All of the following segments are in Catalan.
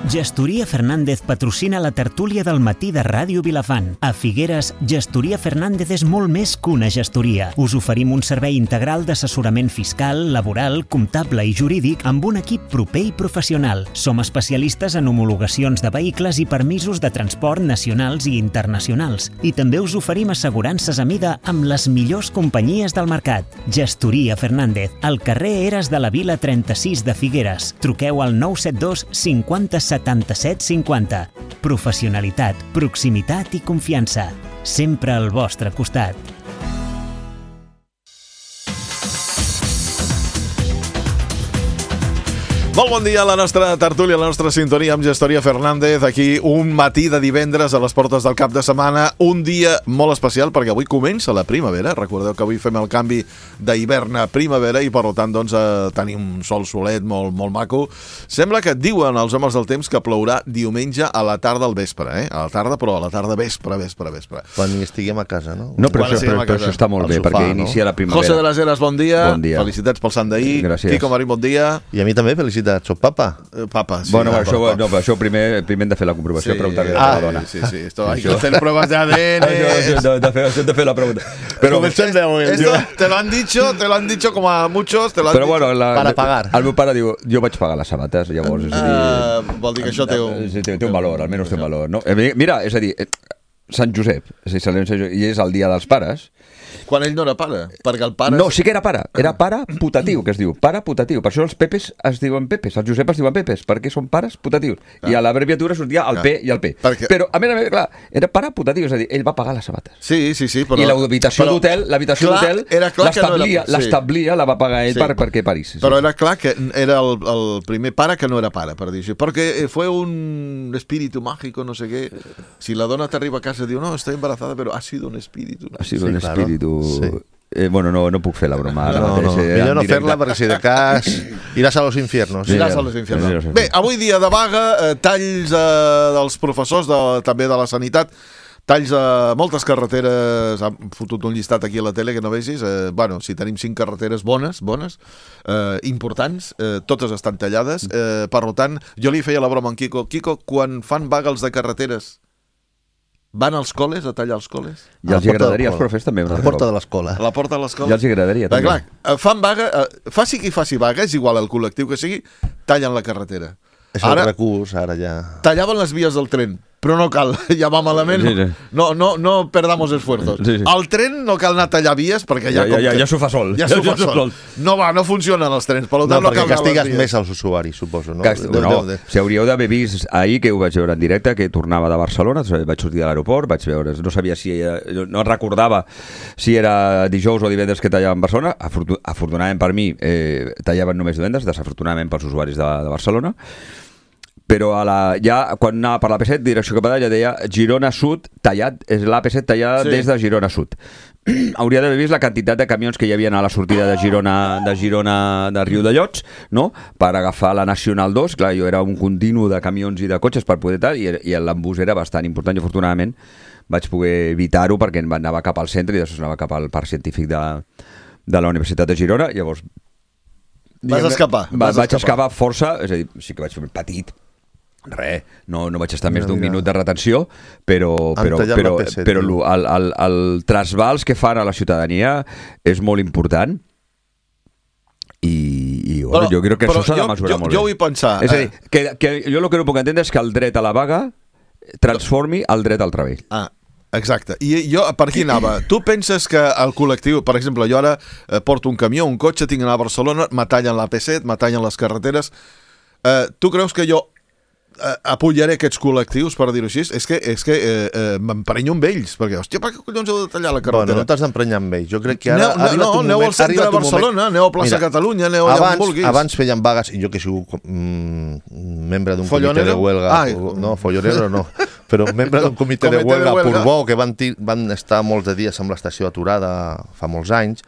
Gestoria Fernández patrocina la tertúlia del matí de Ràdio Vilafant. A Figueres, Gestoria Fernández és molt més que una gestoria. Us oferim un servei integral d'assessorament fiscal, laboral, comptable i jurídic amb un equip proper i professional. Som especialistes en homologacions de vehicles i permisos de transport nacionals i internacionals. I també us oferim assegurances a mida amb les millors companyies del mercat. Gestoria Fernández, al carrer Eres de la Vila 36 de Figueres. Truqueu al 972 50 77 50. Professionalitat, proximitat i confiança. Sempre al vostre costat. Molt bon dia a la nostra tertúlia, a la nostra sintonia amb Gestoria Fernández. Aquí un matí de divendres a les portes del cap de setmana. Un dia molt especial perquè avui comença la primavera. Recordeu que avui fem el canvi d'hivern a primavera i per tant doncs, tenim un sol solet molt maco. Sembla que diuen els homes del temps que plourà diumenge a la tarda al vespre. A la tarda, però a la tarda vespre. Quan hi estiguem a casa, no? No, però això està molt bé, sofà, perquè inicia la primavera. José de las Heras, bon dia. Bon dia. Felicitats pel sant d'ahir. Gràcies. Quico Marín, bon dia. I a mi també, felicitats. Soc papa. Papa, sí. Bueno, això primer hem de fer la comprovació, preguntar-li a la dona. Sí. Hay que hacer pruebas de ADN. Hem de fer la pregunta. Però te lo han dicho como a muchos. Però bueno, para pagar. El meu pare diu, jo vaig pagar les sabates, llavors, és a dir... Vol dir que això té un... Sí, té un valor, almenys té un valor. No? Mira, és a dir, Sant Josep, i és el dia dels pares. Quan ell no era pare, perquè el pare... No, sí que era pare putatiu, que es diu, pare putatiu. Per això els Pepes es diuen Pepes, els Josep es diuen Pepes, perquè són pares putatius. I a l'abreviatura sortia el P i el P. Però, a més, clar, era pare putatiu, és a dir, ell va pagar les sabates. Sí, però... I l'habitació d'hotel l'establia, la va pagar ell perquè parís. Però era clar que era el primer pare que no era pare, per dir-ho. Perquè fue un espíritu mágico, no sé què. Si la dona t'arriba a casa i diu, no, estoy embarazada, però ha sido un espíritu. Ha sido un espíritu... Sí. Bueno, no puc fer la broma. Millor no fer-la perquè si de cas iràs a los infiernos. Bé, avui dia de vaga, talls dels professors, també de la sanitat, talls a moltes carreteres. Han fotut un llistat aquí a la tele que no vegis. Si tenim 5 carreteres bones, importants, totes estan tallades. Per tant, jo li feia la broma a en Quico. Quico, quan fan vaga els de carreteres, van als col·les a tallar els col·les? I els agradaria als profes també. A la porta de l'escola. A la porta de l'escola? Ja els agradaria també. Clar, fan vaga, faci qui faci vaga, és igual el col·lectiu que sigui, tallen la carretera. És el recurs, ara ja... Tallaven les vies del tren, però no cal, ja va malament, no perdamos esfuerzos. El tren no cal anar a tallar vies perquè ja s'ho fa sol. Ja s'ho fa sol. No funcionen els trens, per tant no cal castigues més als usuaris, suposo. Si hauríeu d'haver vist ahir, que ho vaig veure en directe, que tornava de Barcelona, vaig sortir de l'aeroport, vaig veure, no sabia si no recordava si era dijous o divendres que tallaven Barcelona. Afortunadament per mi tallaven només divendres, desafortunadament pels usuaris de Barcelona. Però ja quan anava per l'AP7, direcció cap a allà, deia Girona Sud tallat, és l'AP7 tallada des de Girona Sud. Hauria d'haver vist la quantitat de camions que hi havia a la sortida de Girona de Riudellots, no? Per agafar la Nacional 2. Clar, jo era un continu de camions i de cotxes per poder tal, i l'embús era bastant important. Jo, afortunadament, vaig poder evitar-ho perquè anava cap al centre i després anava cap al parc científic de la Universitat de Girona. Llavors... Vas escapar. Vaig escapar força, és a dir, sí que vaig fer petit, no vaig estar més d'un minut de retenció, però el trasbals que fan a la ciutadania és molt important i jo crec que això s'ha de mesurar molt bé. Jo vull pensar... És a dir, que jo el que no puc entendre és que el dret a la vaga transformi el dret al treball. Exacte. I jo per aquí anava. Tu penses que el col·lectiu, per exemple, jo ara porto un camió, un cotxe, tinc d'anar a Barcelona, me tallen l'AP7, me tallen les carreteres. Tu creus que jo apoyaré aquests col·lectius, per dir-ho així? És que m'emprenyo amb ells, perquè, hòstia, per què collons heu de tallar la carretera? Bueno, no t'has d'emprenyar amb ells. Jo crec que ara ha arribat un moment... Aneu al centre de Barcelona, aneu a plaça Catalunya, aneu allà on vulguis. Abans feien vagues, i jo que he sigut membre d'un comitè de huelga... No, follonero no, però membre d'un comitè de huelga a Portbou, que van estar molts de dies amb l'estació aturada fa molts anys.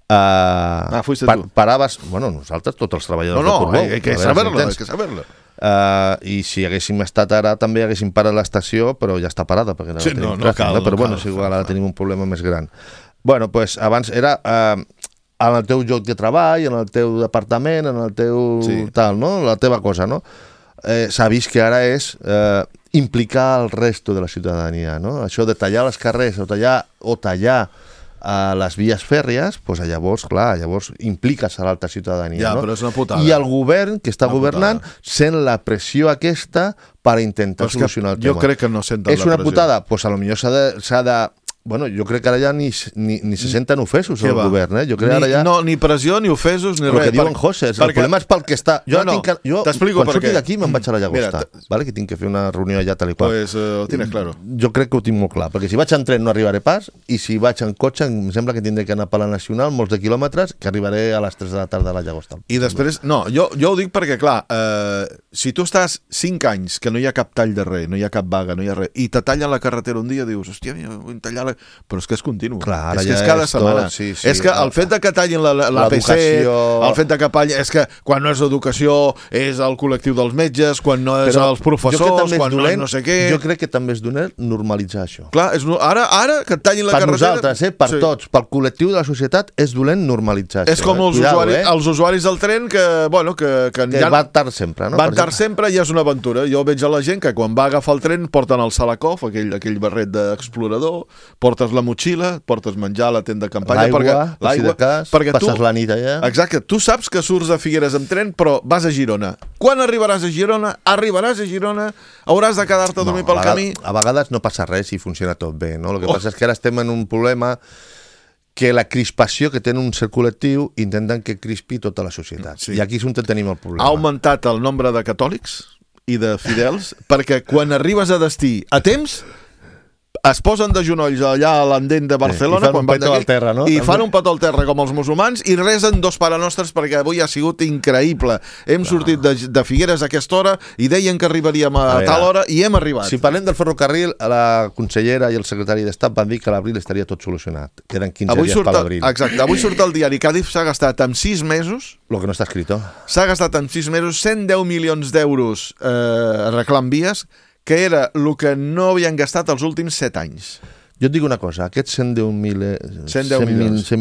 Paraves... Bueno, nosaltres, tots els treballadors de Portbou. Hay que saberlo. I si haguéssim estat ara també haguéssim parat l'estació, però ja està parada perquè ara tenim tràfic, però bueno, és igual, ara tenim un problema més gran. Bueno, doncs abans era en el teu lloc de treball, en el teu departament, en el teu tal, no? La teva cosa, no? s'ha vist que ara és implicar el resto de la ciutadania, no? Això de tallar les carrers o tallar a les vies fèrries, doncs llavors, clar, impliques a l'alta ciutadania. Ja, però és una putada. I el govern que està governant sent la pressió aquesta per intentar solucionar el tema. Jo crec que no senten la pressió. És una putada? Doncs potser s'ha de... Bueno, jo crec que ara ja ni se senten ofesos al govern, Jo crec ara ja... No, ni pressió, ni ofesos, ni res. El que diuen José, el problema és pel que està... Jo t'explico quan surti d'aquí me'n vaig a la Llagosta, que tinc que fer una reunió allà tal i qual. Pues ho tienes claro. Jo crec que ho tinc molt clar, perquè si vaig en tren no arribaré pas, i si vaig en cotxe em sembla que tindré que anar per la Nacional molts de quilòmetres, que arribaré a les 3 de la tarda a la Llagosta. I després... No, jo ho dic perquè, clar, si tu estàs 5 anys que no hi ha cap tall de res, no hi ha cap vaga, no hi ha res, i te tallen la carretera un dia, dius, hòstia, vull tallar però és que és continu. Clar, és que és cada setmana. És que el fet de que tallin la PC, el fet de que és que quan no és educació és el col·lectiu dels metges, quan no és els professors, quan no és no sé què... Jo crec que també és dolent normalitzar això. Clar, ara que et tallin la carretera... Per nosaltres, per tots, pel col·lectiu de la societat, és dolent normalitzar això. És com els usuaris del tren que van tard sempre, no? Van tard sempre i és una aventura. Jo veig a la gent que quan va agafar el tren porten el Salakoff, aquell barret d'explorador, portes la motxilla, portes menjar a la tenda de campanya, l'aigua, perquè passes la nit allà. Exacte, tu saps que surts de Figueres amb tren, però vas a Girona. Quan arribaràs a Girona, hauràs de quedar-te a dormir pel camí. A vegades no passa res i funciona tot bé, no? El que passa és que ara estem en un problema que la crispació que té un cert col·lectiu intenten que crispi tota la societat. I aquí és on tenim el problema. Ha augmentat el nombre de catòlics i de fidels perquè quan arribes a destí a temps es posen de genolls allà a l'andent de Barcelona i fan un petó al terra, no? I fan un petó al terra com els musulmans i resen 2 parenostres perquè avui ha sigut increïble. Hem sortit de Figueres a aquesta hora i deien que arribaríem a tal hora i hem arribat. Si parlem del ferrocarril, la consellera i el secretari d'Estat van dir que a l'abril estaria tot solucionat. Queden 15 dies per l'abril. Exacte, avui surt el diari que Adif s'ha gastat en 6 mesos... Lo que no està escrito. S'ha gastat en 6 mesos 110 milions d'euros arreglant vies, que era el que no havien gastat els últims 7 anys. Jo et dic una cosa, aquests 100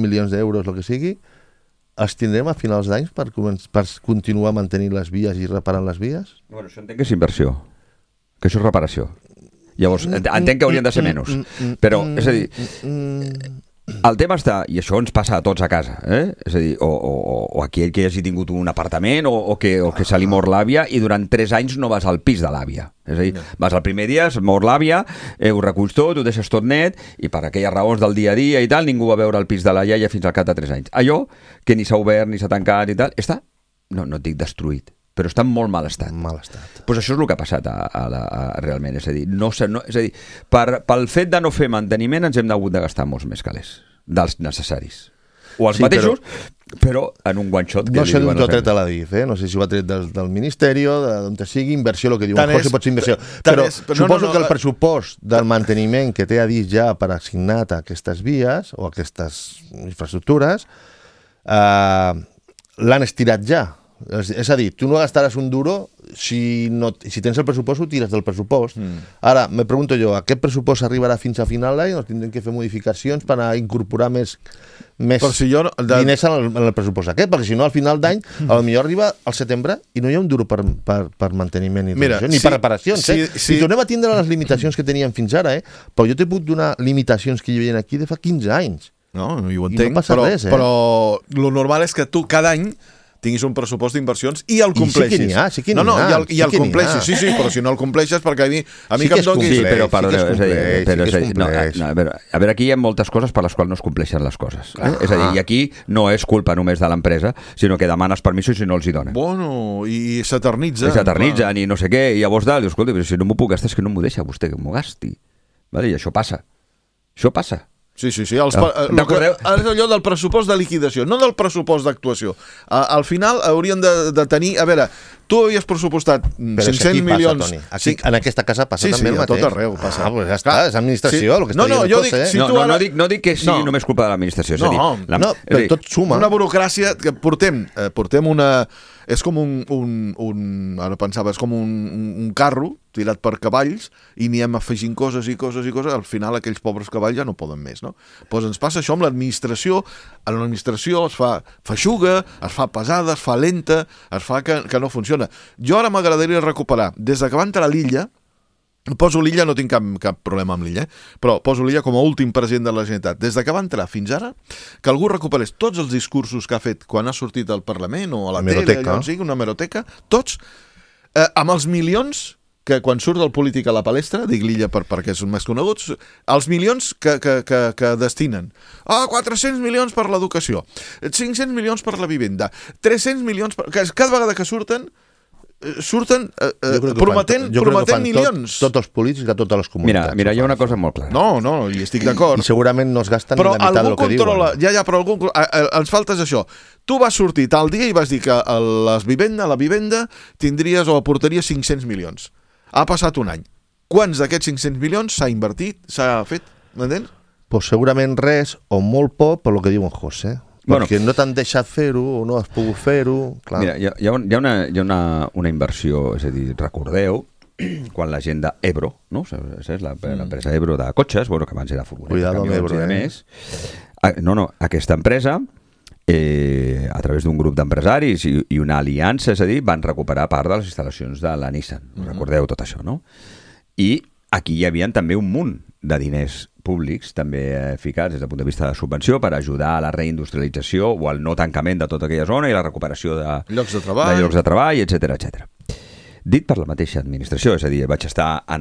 milions d'euros, el que sigui, els tindrem a finals d'anys per continuar mantenint les vies i reparant les vies? Bueno, això entenc que és inversió, que això és reparació. Llavors, entenc que haurien de ser menys. Però, és a dir... El tema està, i això ens passa a tots a casa, és a dir, o aquell que hagi tingut un apartament o que se li mor l'àvia i durant 3 anys no vas al pis de l'àvia. És a dir, vas el primer dia, es mor l'àvia, ho reculls tot, ho deixes tot net i per aquelles raons del dia a dia i tal, ningú va veure el pis de la iaia fins al cap de 3 anys. Allò que ni s'ha obert ni s'ha tancat i tal, està, no et dic destruït, però està en molt mal estat. Pues això és el que ha passat realment, és a dir, pel fet de no fer manteniment ens hem hagut de gastar molts més calés dels necessaris. O els mateixos, però en un one shot. No sé d'on t'ho ha tret a la DIF, no sé si ho ha tret del Ministeri, d'on te sigui, inversió, el que diuen José pot ser inversió. Però suposo que el pressupost del manteniment que té a DIF ja per assignat a aquestes vies o a aquestes infraestructures l'han estirat ja. És a dir, tu no gastaràs un duro si tens el pressupost ho tires del pressupost. Ara, me pregunto jo, aquest pressupost arribarà fins a final d'any o tindrem que fer modificacions per a incorporar més diners en el pressupost aquest? Perquè si no, al final d'any potser arriba al setembre i no hi ha un duro per manteniment ni per reparacions. Si tornem a tindre les limitacions que teníem fins ara, però jo t'he pogut donar limitacions que hi havia aquí de fa 15 anys. No, ho entenc, però el normal és que tu cada any tinguis un pressupost d'inversions i el compleixis. Sí que n'hi ha. I el compleixis, sí, però si no el compleixes, perquè a mi que em donis... Sí, però a veure, aquí hi ha moltes coses per les quals no es compleixen les coses. És a dir, i aquí no és culpa només de l'empresa, sinó que demanes permisos i no els hi donen. Bueno, i s'eternitzen. I no sé què, i llavors dius, escolta, si no m'ho puc gastar és que no m'ho deixa vostè que m'ho gasti. I això passa. Això passa. Sí. És allò del pressupost de liquidació, no del pressupost d'actuació. Al final haurien de tenir... A veure, tu havies pressupostat 500 milions... En aquesta casa passa també el mateix. Sí, a tot arreu passa. Ja està, és administració, el que està dient. No dic que sigui només culpa de l'administració. No, però tot suma. Una burocràcia que portem una... És com ara pensava, és com un carro tirat per cavalls i n'hi hem afegint coses i coses i coses, al final aquells pobres cavalls ja no poden més, no? Doncs ens passa això amb l'administració. A l'administració es fa feixuga, es fa pesada, es fa lenta, es fa que no funciona. funciona. Jo ara m'agradaria recuperar, des que va entrar a l'Illa, poso l'Illa, no tinc cap problema amb l'Illa, però poso l'Illa com a últim president de la Generalitat. Des que va entrar fins ara, que algú recuperés tots els discursos que ha fet quan ha sortit al Parlament o a la tele, allò on sigui, una hemeroteca, tots, amb els milions que quan surt el polític a la palestra, dic l'Illa perquè són més coneguts, els milions que destinen. 400 milions per l'educació, 500 milions per la vivenda, 300 milions per... Cada vegada que surten prometent milions. Tots els polítics de totes les comunitats. Mira, hi ha una cosa molt clara. No, hi estic d'acord. I segurament no es gasten ni la meitat del que diuen. Però algú ens falta això. Tu vas sortir tal dia i vas dir que a la vivenda tindries o aportaries 500 milions. Ha passat un any. Quants d'aquests 500 milions s'ha invertit, s'ha fet? M'entens? Pues segurament res o molt poc per lo que diu en José. Perquè no t'han deixat fer-ho o no has pogut fer-ho. Mira, hi ha una inversió, és a dir, recordeu, quan la gent d'Ebro, no? És l'empresa Ebro de cotxes, que abans era furgoneta, camions i de més. Aquesta empresa, a través d'un grup d'empresaris i una aliança, és a dir, van recuperar part de les instal·lacions de la Nissan. Recordeu tot això, no? I aquí hi havia també un munt de diners públics també ficats des del punt de vista de subvenció per ajudar a la reindustrialització o al no tancament de tota aquella zona i la recuperació de llocs de treball, etc. Dit per la mateixa administració, és a dir, vaig estar en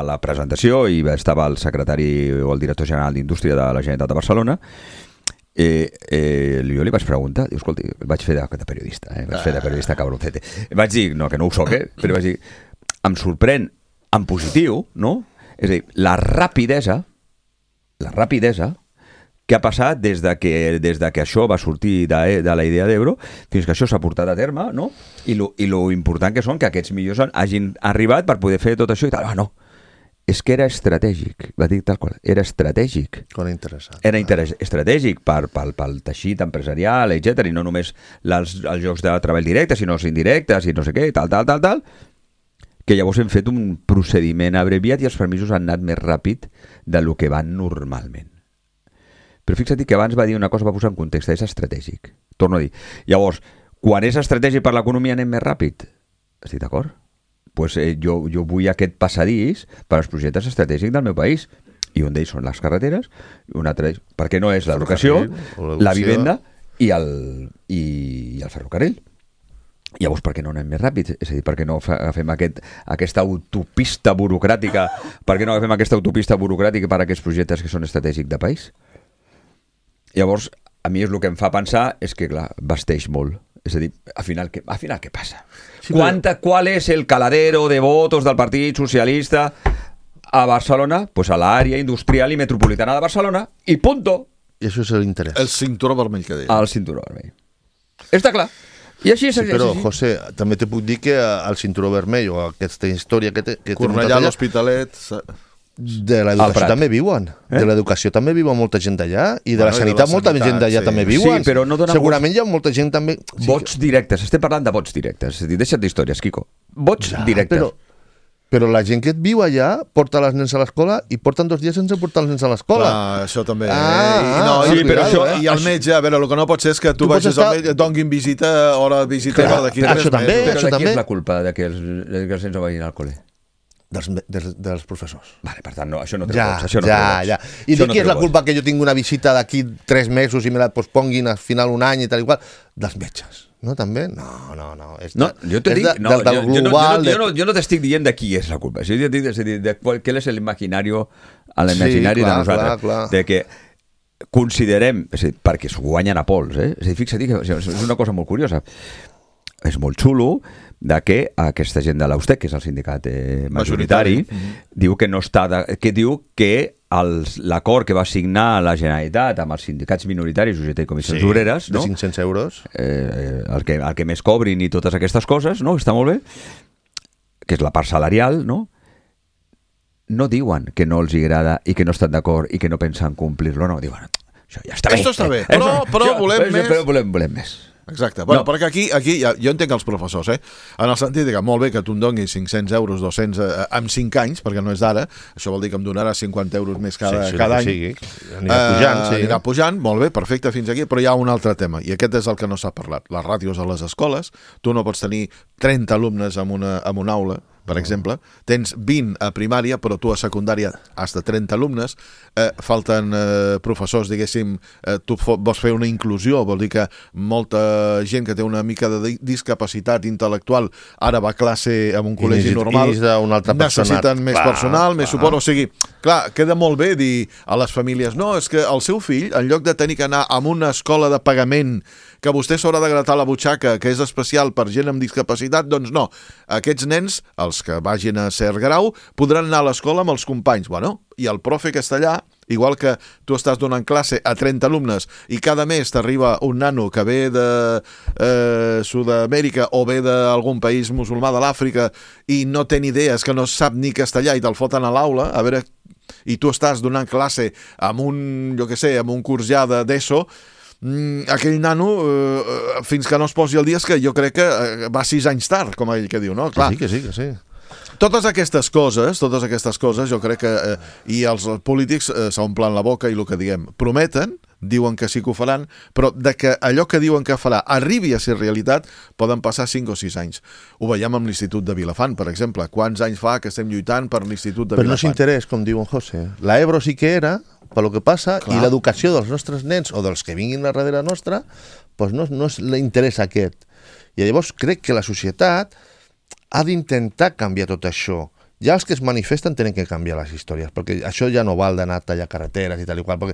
la presentació i estava el secretari o el director general d'Indústria de la Generalitat de Barcelona. Jo li vaig preguntar, diu, escolti, vaig fer de periodista, vaig fer de periodista cabroncete. Vaig dir, no, que no ho soc, però vaig dir, em sorprèn en positiu, no? És a dir, la rapidesa que ha passat des de que això va sortir de la idea d'Ebro fins que això s'ha portat a terme, no? I lo important que són que aquests millors hagin arribat per poder fer tot això i tal. No, és que era estratègic, va dir tal qual, era estratègic. Era estratègic pel teixit empresarial, etc. I no només els llocs de treball directes, sinó els indirectes i no sé què, tal, que llavors hem fet un procediment abreviat i els permisos han anat més ràpid del que van normalment. Però fixa't que abans va dir una cosa, va posar en context, és estratègic. Torno a dir. Llavors, quan és estratègic per l'economia anem més ràpid. Estic d'acord? Pues, jo vull aquest passadís per als projectes estratègics del meu país. I un d'ells són les carreteres, un altre perquè no és l'educació, la vivenda i el ferrocarril. Llavors, per què no anem més ràpid? És a dir, per què no agafem aquesta autopista burocràtica per a aquests projectes que són estratègics de país? Llavors, a mi és el que em fa pensar és que, clar, vesteix molt. És a dir, al final què passa? Sí, ¿Cuál es el caladero de votos del Partit Socialista a Barcelona? Pues a l'àrea industrial i metropolitana de Barcelona i punto. I això és l'interès. El cinturó vermell que deia. El cinturó vermell. Està clar. I així és. Sí, però, José, també te puc dir que el cinturó vermell o aquesta història que Cornellà, l'Hospitalet... De l'educació també viuen. De l'educació també viuen molta gent d'allà i de la sanitat molta gent d'allà també viuen. Sí, però no segurament hi ha molta gent també... Vots directes, estem parlant de vots directes. És a dir, deixa't d'històries, Quico. Vots directes. Però la gent que et viu allà porta els nens a l'escola i porten 2 dies sense portar els nens a l'escola. Això també. I el metge, a veure, el que no pot ser és que tu vagis al metge, et donguin visita, hora de visita d'aquí 3 mesos. Però de qui és la culpa de que els nens no vagin al col·le? Dels professors. Vale, per tant, no, això no té ja. I de qui és la culpa que jo tinc una visita d'aquí 3 mesos i me la posponguin al final un any i tal i qual? Dels metges. No, també? No. Jo te dic, jo no t'estic dient de qui és la culpa. Jo dic, és a dir, de qual és l'imaginari de nosaltres. Clar. De que considerem, és a dir, perquè s'ho guanyen a pols, És a dir, fixa't que és una cosa molt curiosa. És molt xulo de que aquesta gent de l'Austec, que és el sindicat majoritari, diu que no està diu que l'acord que va signar la Generalitat amb els sindicats minoritaris, UGT i Comissions Obreres, de 500 euros, el que més cobrin i totes aquestes coses, no? Està molt bé, que és la part salarial, no? No diuen que no els agrada i que no estan d'acord i que no pensen complir-lo, no, diuen, això ja està bé. Esto està bé, però volem més. Però volem més. Exacte. Bueno, perquè aquí jo entenc els professors, en el sentit que molt bé que tu em donis 500 euros, 200 en 5 anys, perquè no és d'ara, això vol dir que em donarà 50 euros més cada any. Anirà pujant, molt bé, perfecte, fins aquí, però hi ha un altre tema, i aquest és el que no s'ha parlat. Les ràtios a les escoles, tu no pots tenir 30 alumnes en una aula, per exemple, tens 20 a primària, però tu a secundària has de 30 alumnes, falten professors, diguéssim, tu vols fer una inclusió, vol dir que molta gent que té una mica de discapacitat intel·lectual ara va a classe en un col·legi normal, necessiten més personal, més suport, o sigui, clar, queda molt bé dir a les famílies, no, és que el seu fill, en lloc de tenir que anar a una escola de pagament que vostè s'haurà de gratar la butxaca, que és especial per gent amb discapacitat, doncs no. Aquests nens, els que vagin a cert grau, podran anar a l'escola amb els companys. Bueno, i el profe que està allà, igual que tu estàs donant classe a 30 alumnes i cada mes t'arriba un nano que ve de Sud-amèrica o ve d'algun país musulmà de l'Àfrica i no té ni idees, que no sap ni castellà i te'l foten a l'aula, a veure, i tu estàs donant classe amb un curs ja d'ESO, aquell nano, fins que no es posi al dia, és que jo crec que va 6 anys tard, com ell que diu, no? Clar. Que sí. Totes aquestes coses, jo crec que i els polítics s'omplen la boca i el que diguem, prometen, diuen que sí que ho faran, però de que allò que diuen que farà arribi a ser realitat, poden passar 5 o 6 anys. Ho veiem amb l'Institut de Vilafant, per exemple. Quants anys fa que estem lluitant per l'Institut de Vilafant? Però no és interès, com diu en José. La Ebro sí que era, pel que passa, i l'educació dels nostres nens o dels que vinguin a darrere nostra, doncs no és l'interès aquest. I llavors crec que la societat ha d'intentar canviar tot això. Ja els que es manifesten tenen que canviar les històries, perquè això ja no val d'anar a tallar carreteres i tal i qual, perquè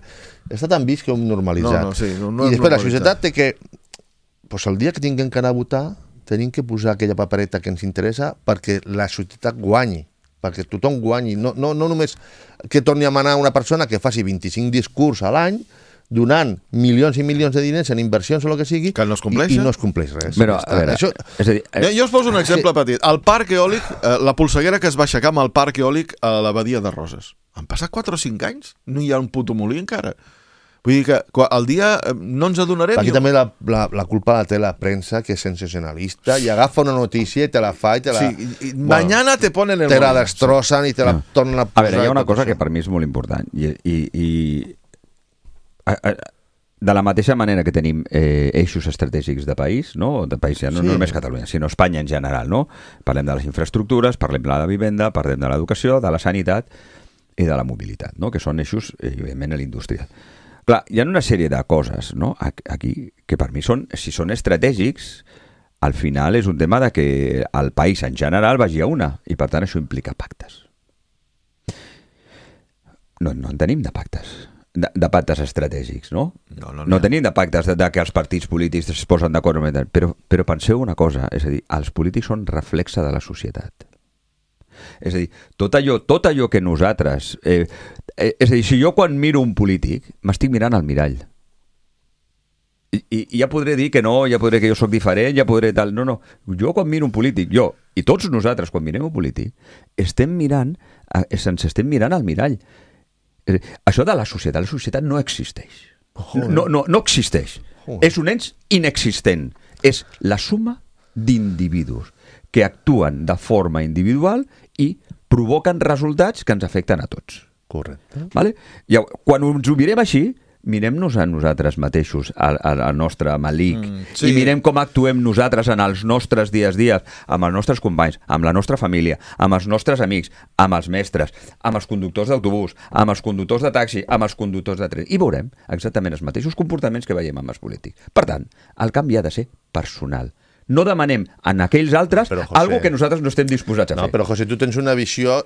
està tan vist que ho hem normalitzat. I després la societat té que, el dia que tinguem que anar a votar, tenim que posar aquella papereta que ens interessa perquè la societat guanyi, perquè tothom guanyi, no només que torni a manar una persona que faci 25 discurs a l'any, donant milions i milions de diners en inversions o el que sigui, que no es compleix, i no es compleix res. Però, a veure, això... Jo us poso un exemple petit. El parc eòlic, la polseguera que es va aixecar amb el parc eòlic a la Badia de Roses. Han passat 4 o 5 anys? No hi ha un puto molí encara. Vull dir que el dia no ens adonarem... Aquí també la culpa la té la premsa, que és sensacionalista, i agafa una notícia i te la fa i te la... Sí, mañana te ponen el... Te la destrozan i te la tornen a posar... A veure, hi ha una cosa que per mi és molt important, i de la mateixa manera que tenim eixos estratègics de país, no? De país, no només Catalunya, sinó Espanya en general, no? Parlem de les infraestructures, parlem de la vivenda, parlem de l'educació, de la sanitat i de la mobilitat, no? Que són eixos, evidentment, a l'indústria. Clar, hi ha una sèrie de coses, no? Aquí que per mi si són estratègics, al final és un tema de que el país en general vagi a una, i per tant això implica pactes. No en tenim de pactes. De pactes estratègics, no? No tenim de pactes de que els partits polítics es posen d'acord, però penseu una cosa, és a dir, els polítics són reflexe de la societat. És a dir, tot allò que nosaltres... és a dir, si jo quan miro un polític m'estic mirant al mirall, i ja podré dir que no, ja podré que jo sóc diferent, ja podré tal... No, jo quan miro un polític, jo i tots nosaltres quan mirem un polític, ens estem mirant al mirall. Això de la societat no existeix. No existeix. És un ens inexistent. És la suma d'individus que actuen de forma individual i provoquen resultats que ens afecten a tots. Correcte. Vale? I quan ens ho mirem així, mirem-nos a nosaltres mateixos, al nostre malic, i mirem com actuem nosaltres en els nostres dies a dia, amb els nostres companys, amb la nostra família, amb els nostres amics, amb els mestres, amb els conductors d'autobús, amb els conductors de taxi, amb els conductors de tren, i veurem exactament els mateixos comportaments que veiem amb els polítics. Per tant, el canvi ha de ser personal. No demanem en aquells altres algo que nosaltres no estem disposats a fer. No, però José, tu tens una visió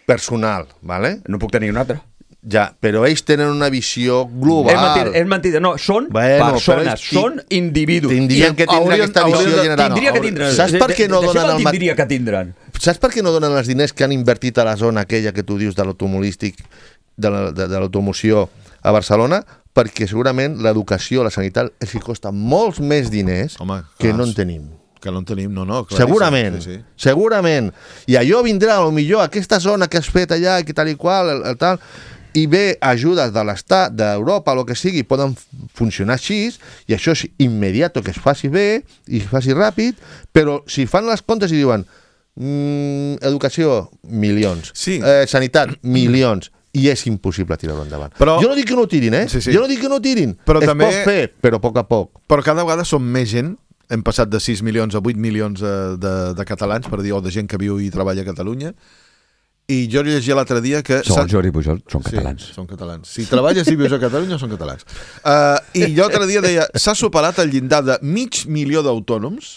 personal, ¿vale? No puc tenir una altra. Ja, però ells tenen una visió global. És mentida. No, són persones, són individus. Tindrien que tindre aquesta visió general. Tindria que tindre. Saps per què no donen el tindria que tindran? Saps per què no donen els diners que han invertit a la zona aquella que tu dius de l'automolístic, de l'automoció a Barcelona? Perquè segurament l'educació, la sanitat, els hi costa molts més diners que no en tenim. Que no en tenim, no. Segurament, segurament. I allò vindrà, potser, a aquesta zona que has fet allà, que tal i qual, el tal... i bé ajudes de l'Estat, d'Europa, el que sigui, poden funcionar així, i això és immediat, que es faci bé i es faci ràpid, però si fan les comptes i diuen educació, milions, sanitat, milions, i és impossible tirar-ho endavant. Jo no dic que no ho tirin, Jo no dic que no ho tirin. Es pot fer, però a poc a poc. Però cada vegada som més gent. Hem passat de 6 milions a 8 milions de catalans, per dir, o de gent que viu i treballa a Catalunya. I jo llegia l'altre dia que... Segons Jordi Pujol, són catalans. Sí, són catalans. Si treballes i vius a Catalunya, són catalans. I jo l'altre dia deia, s'ha superat el llindar de 500.000 d'autònoms,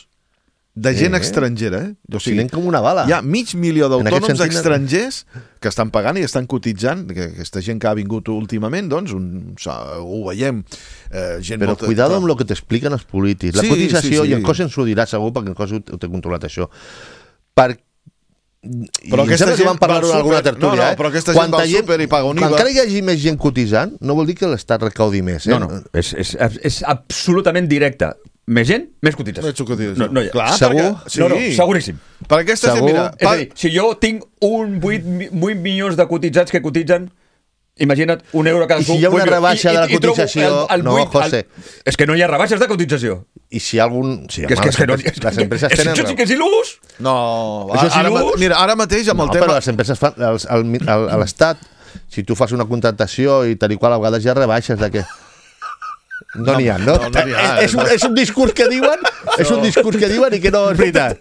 de gent estrangera. O sigui, anem com una bala. Hi ha 500.000 d'autònoms estrangers que estan pagant i estan cotitzant, que aquesta gent que ha vingut últimament, doncs, ho veiem. Però cuidado amb el que t'expliquen els polítics. La cotització, i en Cos ens ho dirà segur, perquè en Cos ho té controlat això. Però aquesta gent van parlar en alguna tertúlia, però aquesta gent va al súper i paga un IVA. Encara hi hagi més gent cotitzant, no vol dir que l'Estat recaudi més. No, és absolutament directe. Més gent, més cotització. No hi ha. Clar, segur? No, seguríssim. Per aquesta gent, mira... És a dir, si jo tinc 8 milions de cotitzats que cotitzen, imagina't €1 cada I si hi ha una rebaixa de la cotització... No, José. És que no hi ha rebaixes de cotització. I si algun... Les empreses tenen... Això sí que és il·lús! No, mira, ara mateix amb el tema... Però les empreses fan... A l'Estat, si tu fas una contractació i tal i qual, a vegades hi ha rebaixes de què... No n'hi ha, no? És un discurs que diuen, i que no és veritat.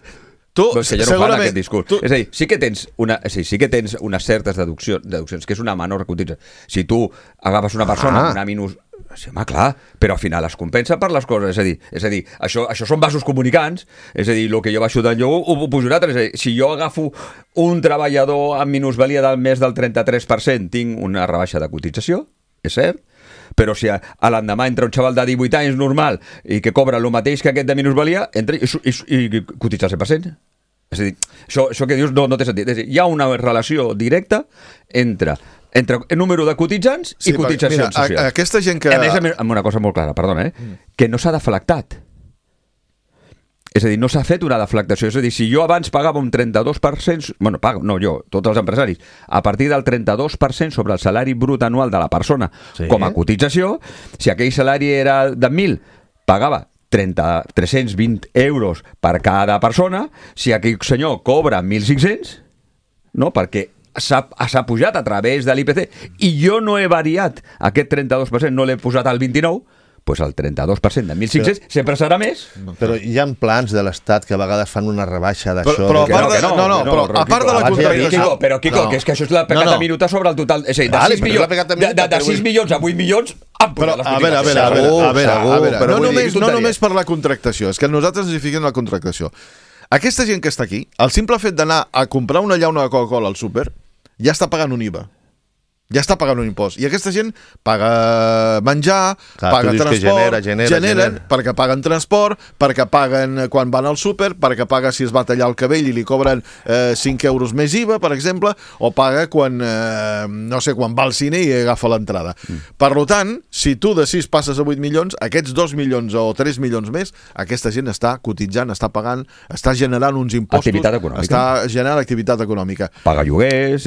És que ja no fan aquest discurs. És a dir, sí que tens unes certes deduccions, que és una menor cotització. Si tu agafes una persona amb una minus... Sí, home, clar, però al final es compensa per les coses. És a dir, això són vasos comunicants. És a dir, el que jo baixo del lloc ho pujo un altre. És a dir, si jo agafo un treballador amb minusvalia del més del 33%, tinc una rebaixa de cotització, és cert, però si a l'endemà entra un xaval de 18 anys normal i que cobra el mateix que aquest de minusvalia, entra i cotitza el 100%. És a dir, això que dius no té sentit. És a dir, hi ha una relació directa entre el número de cotitzants i cotitzacions socials. Aquesta gent que... A més, amb una cosa molt clara, perdona, que no s'ha deflactat. És a dir, no s'ha fet una deflactació. És a dir, si jo abans pagava un 32%... tots els empresaris, a partir del 32% sobre el salari brut anual de la persona com a cotització, si aquell salari era de 1.000, pagava 320 euros per cada persona. Si aquell senyor cobra 1.500, no, perquè s'ha pujat a través de l'IPC i jo no he variat aquest 32%, no l'he posat al 29%, doncs el 32% de 1.500 sempre serà més. Però hi ha plans de l'Estat que a vegades fan una rebaixa d'això. Però a part de la contractació... Però, Quico, que és que això és la pecata minuta sobre el total... És a dir, de 6 milions a 8 milions... Però, a veure, no només per la contractació, és que nosaltres ens hi fiquem la contractació. Aquesta gent que està aquí, el simple fet d'anar a comprar una llauna de Coca-Cola al súper, ja està pagant un IVA. Ja està pagant un impost. I aquesta gent paga menjar, paga transport, generen perquè paguen transport, perquè paguen quan van al súper, perquè paga si es va tallar el cabell i li cobren 5 euros més IVA, per exemple, o paga quan, quan va al cine i agafa l'entrada. Per tant, si tu de 6 passes a 8 milions, aquests 2 milions o 3 milions més, aquesta gent està cotitzant, està pagant, està generant uns impostos. Activitat econòmica. Està generant activitat econòmica. Paga lloguers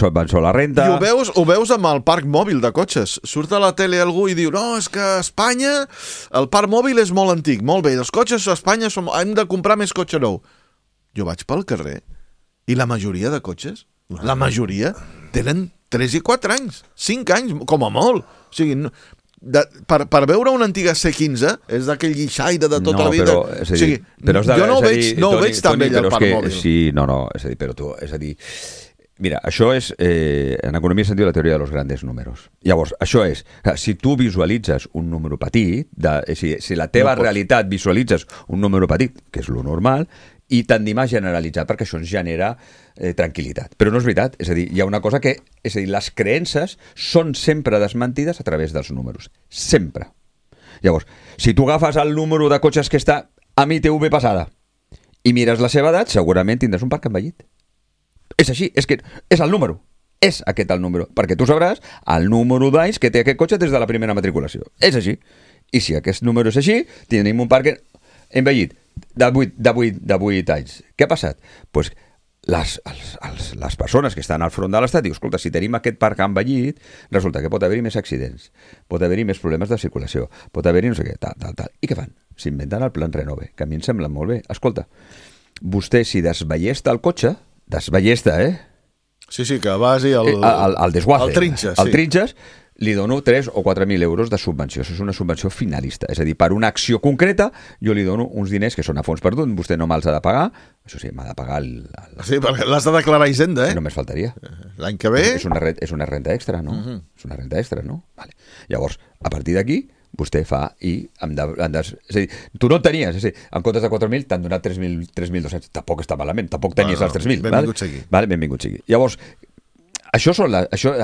van sobre la renta... I ho veus amb el parc mòbil de cotxes. Surt a la tele algú i diu no, és que a Espanya el parc mòbil és molt antic. Molt bé, els cotxes a Espanya hem de comprar més cotxe nou. Jo vaig pel carrer i la majoria de cotxes, la majoria, tenen 3 i 4 anys, 5 anys, com a molt. O sigui, per veure una antiga C15 és d'aquell guixaire de tota la vida. Jo no ho veig tan bé el parc mòbil. Sí, és a dir, però tu, és a dir... Mira, això és, en economia sentit, la teoria de los grandes números. Llavors, això és, si tu visualitzes un número petit, si la teva realitat visualitzes un número petit, que és lo normal, i tendim a generalitzar, perquè això ens genera tranquil·litat. Però no és veritat, és a dir, hi ha una cosa que, és a dir, les creences són sempre desmentides a través dels números. Sempre. Llavors, si tu agafes el número de cotxes que està a ITV passada i mires la seva edat, segurament tindràs un parc envellit. És així, és que és el número. És aquest el número, perquè tu sabràs el número d'anys que té aquest cotxe des de la primera matriculació. És així. I si aquest número és així, tenim un parc envellit de 8 anys. Què ha passat? Doncs les persones que estan al front de l'Estat diuen, escolta, si tenim aquest parc envellit, resulta que pot haver-hi més accidents, pot haver-hi més problemes de circulació, pot haver-hi no sé què, tal. I què fan? S'inventen el plan Renove, que a mi em sembla molt bé. Escolta, vostè si desballesta el cotxe, desballesta, Sí, que vagi el desguace, el trinxes, el trinxes, li dono 3 o 4.000 euros de subvenció. Això és una subvenció finalista. És a dir, per una acció concreta, jo li dono uns diners que són a fons perdut, vostè no me'ls ha de pagar, això sí, m'ha de pagar Sí, perquè l'has de declarar a Hisenda, Només faltaria. L'any que ve... És una renta extra, no? És una renta extra, no? Vale. Llavors, a partir d'aquí, vostè fa i... és a dir, tu no en tenies, és a dir, en comptes de 4.000 t'han donat 3.200. Tampoc està malament, tampoc tenies els 3.000. Benvingut sigui. Vale, benvingut sigui. Llavors, això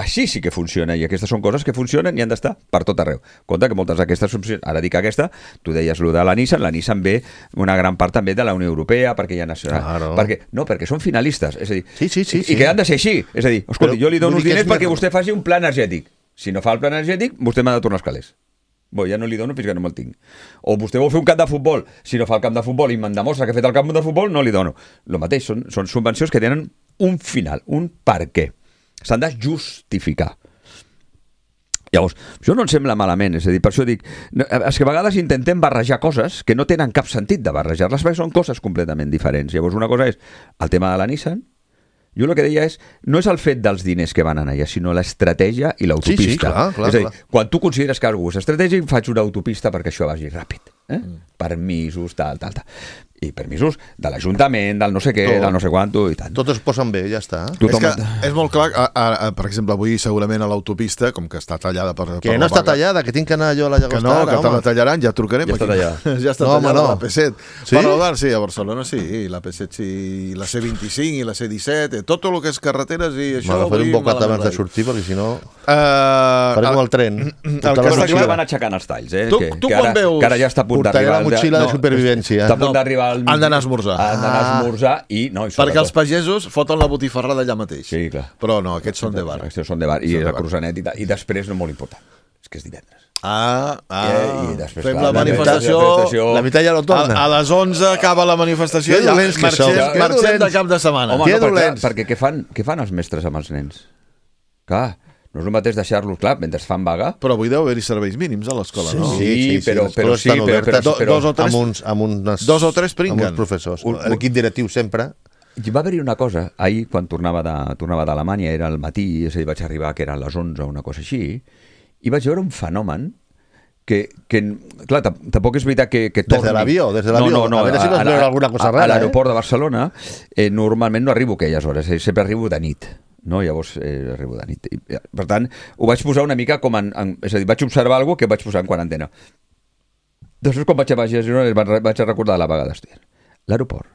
així sí que funciona, i aquestes són coses que funcionen i han d'estar per tot arreu. Compte que moltes d'aquestes funcionen. Ara dic aquesta, tu deies lo de la Nissan ve una gran part també de la Unió Europea, perquè hi ha nacional. Claro. Perquè són finalistes, és a dir, sí. I que han de ser així. És a dir, escolta, jo li dono uns diners perquè vostè faci un pla energètic. Si no fa el pla energètic, vostè m'ha de tornar els calés. Ja no li dono fins que no me'l tinc. O vostè vol fer un camp de futbol, si no fa el camp de futbol i me'n demostra que ha fet el camp de futbol, no li dono. El mateix, són subvencions que tenen un final, un per què. S'han de justificar. Llavors, això no em sembla malament, és a dir, per això dic, és que a vegades intentem barrejar coses que no tenen cap sentit de barrejar-les, perquè són coses completament diferents. Llavors, una cosa és el tema de la Nissan. Jo el que deia és, no és el fet dels diners que van anar allà, sinó l'estratègia i l'autopista. Sí, clar. És a dir, quan tu consideres que algú és estratègic, faig una autopista perquè això vagi ràpid. Permisos, tal. I permisos de l'Ajuntament, del no sé què, del no sé quanto i tant. Tots es posen bé, ja està. És que és molt clar, per exemple, avui segurament a l'autopista, com que està tallada per que no està tallada, que tinc que anar jo a la Llagostera. Que no, que te la tallaran, ja trucarem. Ja està tallada. Ja està tallada la P7. Sí? Però sí, a Barcelona sí, la P7 sí, la C25 i la C17, tot el que és carreteres i això... M'ha de fer un bocat abans de sortir, perquè si no... farem el tren. El que està clar van aixecant els talls, Tu quan veus... Que ara ja està a punt d'arribar... Portaré la motxilla de supervivència. Està a punt d'arribar al mig. Han d'anar a esmorzar. I no, perquè els pagesos foten la botifarrada allà mateix. Sí, clar. Però no, aquests són de bar. Aquests són de bar, i és el Cruzanet i després no molt important. És que és divendres. I després, fem la manifestació. La meitat ja no torna. A les 11 acaba la manifestació. Que dolents que sou. Marxem de cap de setmana. Home, perquè què fan els mestres amb els nens? Clar, no és el mateix deixar-los, clar, mentre fan vaga. Però avui deu haver-hi serveis mínims a l'escola, no? Sí, però dos o tres pringuen. Amb uns professors. L'equip directiu sempre. I va haver-hi una cosa, ahir quan tornava d'Alemanya, era al matí, és a dir, vaig arribar que eren les 11 o una cosa així, i vaig veure un fenomen que clar, tampoc és veritat que torni... Des de l'avió? No, a veure si vas veure alguna cosa rara. A l'aeroport de Barcelona, normalment no arribo a aquelles hores, sempre arribo de nit. No, llavors arribo de nit. Per tant, ho vaig posar una mica com és a dir, vaig observar alguna cosa que vaig posar en quarantena. Després, quan vaig a Girona, vaig a recordar la vaga d'estiu. L'aeroport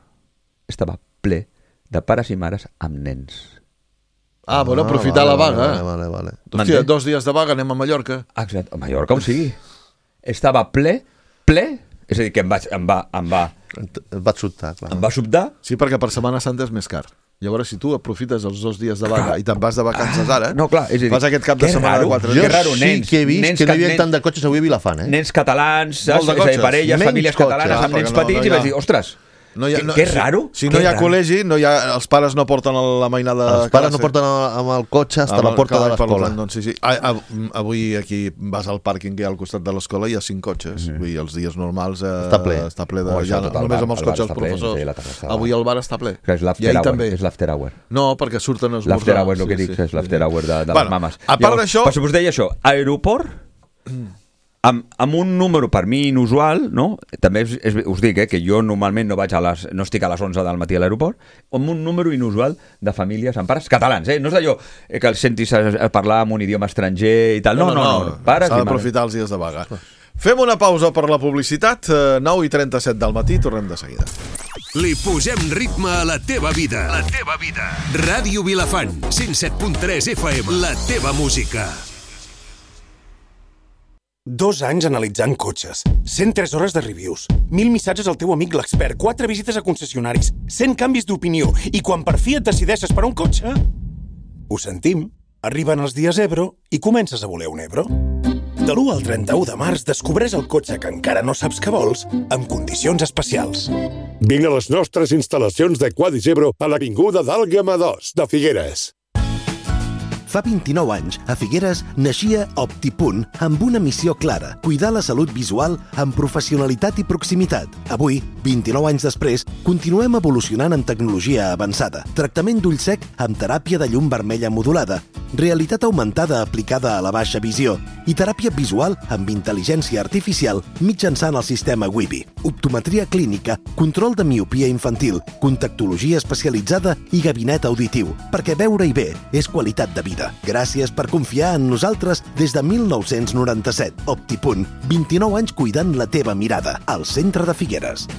estava ple de pares i mares amb nens. Bueno, aprofitar la vaga. Vale. Hòstia, 2 dies de vaga, anem a Mallorca. Exacte, a Mallorca on sigui. Estava ple, és a dir, que em va sobtar, clar. Em va sobtar. Sí, perquè per Setmana Santa és més car. Llavors, si tu aprofites els 2 dies de vaga i te'n vas de vacances ara, no, clar, és a dir, fas aquest cap de setmana de 4 dies. Jo raro, sí que he vist que no hi havia tant de cotxes avui a Vilafant, Nens catalans, saps? És a dir, parelles, famílies catalanes amb nens petits, i vaig dir, ostres, que raro. Si no hi ha col·legi, els pares no porten la mainada de classe. Els pares no porten amb el cotxe fins a la porta de l'escola. Sí. Avui aquí vas al pàrquing que hi ha al costat de l'escola i hi ha 5 cotxes. Els dies normals està ple de... Només amb els cotxes els professors. Avui el bar està ple. I ahir també. És l'after hour. No, perquè surten a esmorzar. L'after hour, el que dic, és l'after hour de les mames. A part d'això... Per us deia això, aeroport... Amb un número per mi inusual, no? També us dic que jo normalment no estic a les 11 del matí a l'aeroport, amb un número inusual de famílies amb pares catalans, no és d'allò que els sentis a parlar en un idioma estranger i tal, no. S'ha d'aprofitar els dies de vaga. Fem una pausa per la publicitat, 9:37 del matí, tornem de seguida. Li posem ritme a la teva vida. La teva vida. Ràdio Vilafant, 107.3 FM, la teva música. 2 anys analitzant cotxes, 103 hores de reviews, 1.000 missatges al teu amic l'expert, 4 visites a concessionaris, 100 canvis d'opinió, i quan per fi et decideixes per un cotxe... Ho sentim, arriben els dies Ebro i comences a voler un Ebro. De l'1 al 31 de març descobreix el cotxe que encara no saps que vols amb condicions especials. Vine a les nostres instal·lacions de Quadrigebro a l'Avinguda d'Àlguema 2 de Figueres. Fa 29 anys, a Figueres, naixia Optipunt amb una missió clara, cuidar la salut visual amb professionalitat i proximitat. Avui, 29 anys després, continuem evolucionant en tecnologia avançada, tractament d'ull sec amb teràpia de llum vermella modulada, realitat augmentada aplicada a la baixa visió i teràpia visual amb intel·ligència artificial mitjançant el sistema Wibi, optometria clínica, control de miopia infantil, contactologia especialitzada i gabinet auditiu, perquè veure-hi bé és qualitat de vida. Gràcies per confiar en nosaltres des de 1997. Optipunt, 29 anys cuidant la teva mirada, al centre de Figueres.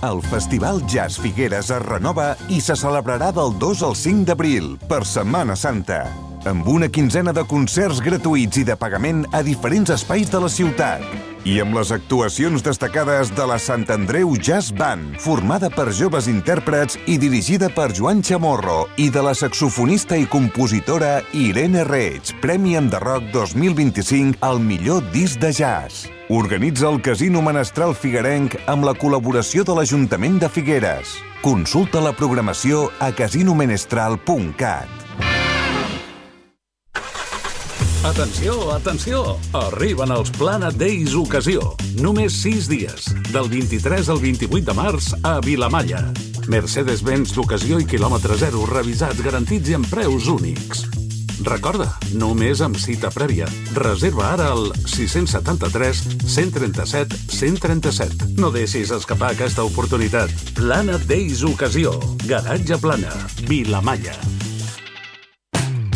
El Festival Jazz Figueres es renova i se celebrarà del 2 al 5 d'abril, per Setmana Santa, amb una quinzena de concerts gratuïts i de pagament a diferents espais de la ciutat. I amb les actuacions destacades de la Sant Andreu Jazz Band, formada per joves intèrprets i dirigida per Joan Chamorro, i de la saxofonista i compositora Irene Reig, Premi Enderroc 2025 al millor disc de jazz. Organitza el Casino Menestral Figuerenc amb la col·laboració de l'Ajuntament de Figueres. Consulta la programació a casinomenestral.cat. Atenció, atenció! Arriben els Planet Days Ocasió. Només 6 dies, del 23 al 28 de març a Vilamalla. Mercedes-Benz d'ocasió i quilòmetre zero, revisats, garantits i amb preus únics. Recorda, només amb cita prèvia. Reserva ara al 673 137 137. No deixis escapar aquesta oportunitat. Planet Days Ocasió. Garatge Plana, Vilamalla.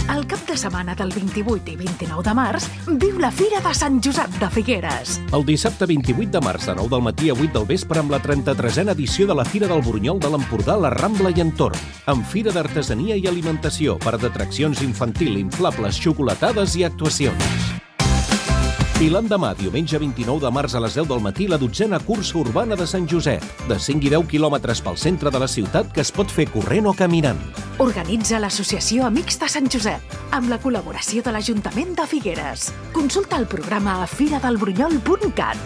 El cap de setmana del 28 i 29 de març, viu la Fira de Sant Josep de Figueres. El dissabte 28 de març, de 9 del matí a 8 del vespre, amb la 33a edició de la Fira del Burunyol de l'Empordà, la Rambla i entorn, amb fira d'artesania i alimentació, parc d'atraccions infantil, inflables, xocolatades i actuacions. I l'endemà, diumenge 29 de març a les 10 del matí, la 12a cursa urbana de Sant Josep, de 5 i 10 quilòmetres pel centre de la ciutat que es pot fer corrent o caminant. Organitza l'Associació Amics de Sant Josep, amb la col·laboració de l'Ajuntament de Figueres. Consulta el programa a firadelburunyol.cat.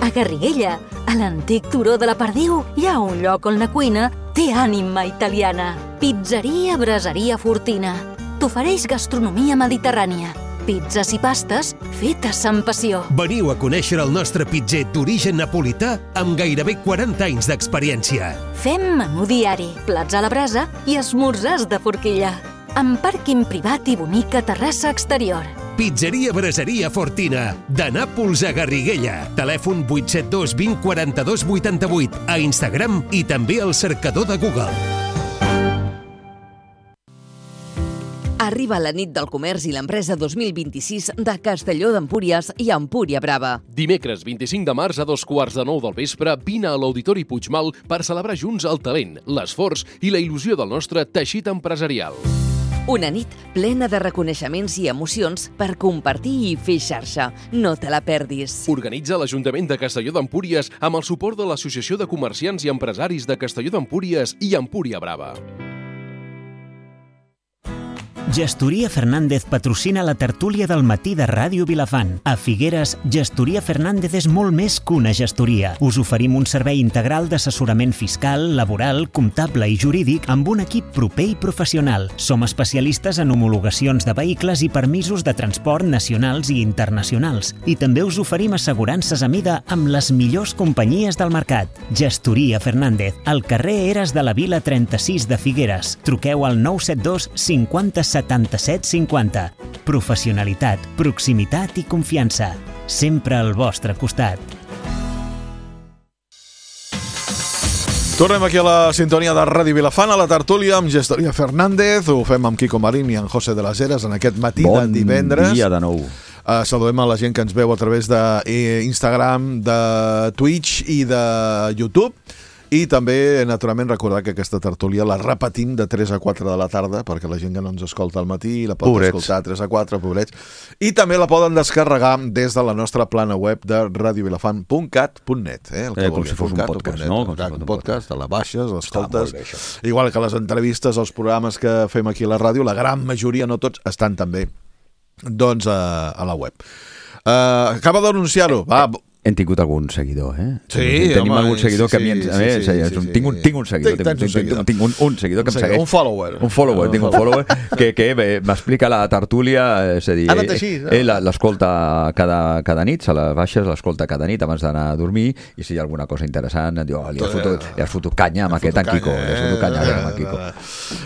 A Garriguella, a l'antic turó de la Perdiu, hi ha un lloc on la cuina té ànima italiana. Pizzeria Braseria Fortina. T'ofereix gastronomia mediterrània, pizzas i pastes fetes amb passió. Veniu a conèixer el nostre pitzer d'origen napolità amb gairebé 40 anys d'experiència. Fem menú diari, plats a la brasa i esmorzars de forquilla, amb pàrquing privat i bonica terrassa exterior. Pizzeria Braseria Fortina, de Nàpols a Garriguella. Telèfon 872 20 42 88, a Instagram i també al cercador de Google. Arriba la nit del comerç i l'empresa 2026 de Castelló d'Empúries i Empúria Brava. Dimecres 25 de març a 8:45 del vespre, vine a l'Auditori Puigmal per celebrar junts el talent, l'esforç i la il·lusió del nostre teixit empresarial. Una nit plena de reconeixements i emocions per compartir i fer xarxa. No te la perdis. Organitza l'Ajuntament de Castelló d'Empúries amb el suport de l'Associació de Comerciants i Empresaris de Castelló d'Empúries i Empúria Brava. Gestoria Fernández patrocina la tertúlia del matí de Ràdio Vilafant. A Figueres, Gestoria Fernández és molt més que una gestoria. Us oferim un servei integral d'assessorament fiscal, laboral, comptable i jurídic amb un equip proper i professional. Som especialistes en homologacions de vehicles i permisos de transport nacionals i internacionals. I també us oferim assegurances a mida amb les millors companyies del mercat. Gestoria Fernández, al carrer Eres de la Vila 36 de Figueres. Truqueu al 972 50 77 50. Professionalitat, proximitat i confiança. Sempre al vostre costat. Tornem aquí a la sintonia de Ràdio Vilafant, a la tertúlia amb Gestoria Fernández. Ho fem amb Quico Marín i en José de las Heras en aquest matí de divendres. Bon dia de nou. Saludem a la gent que ens veu a través d'Instagram, de Twitch i de YouTube. I també, naturalment, recordar que aquesta tertúlia la repetim de 3 a 4 de la tarda, perquè la gent que no ens escolta al matí la pot escoltar 3 a 4, pobrets. I també la poden descarregar des de la nostra plana web de radiovilafant.cat.net. Com si fos un podcast, no? Un podcast, te la baixes, l'escoltes. Igual que les entrevistes, els programes que fem aquí a la ràdio, la gran majoria, no tots, estan també doncs a la web. Acaba d'anunciar-ho. Hem tingut algun seguidor, Sí, tenim algun seguidor que a mi tinc un seguidor. Tinc un seguidor que em segueix. Un follower. Tinc un follower que m'explica la tertúlia, és a dir, ell l'escolta cada nit, se la baixes, l'escolta cada nit abans d'anar a dormir, i si hi ha alguna cosa interessant, diu, li has fotut canya amb aquest en Quico.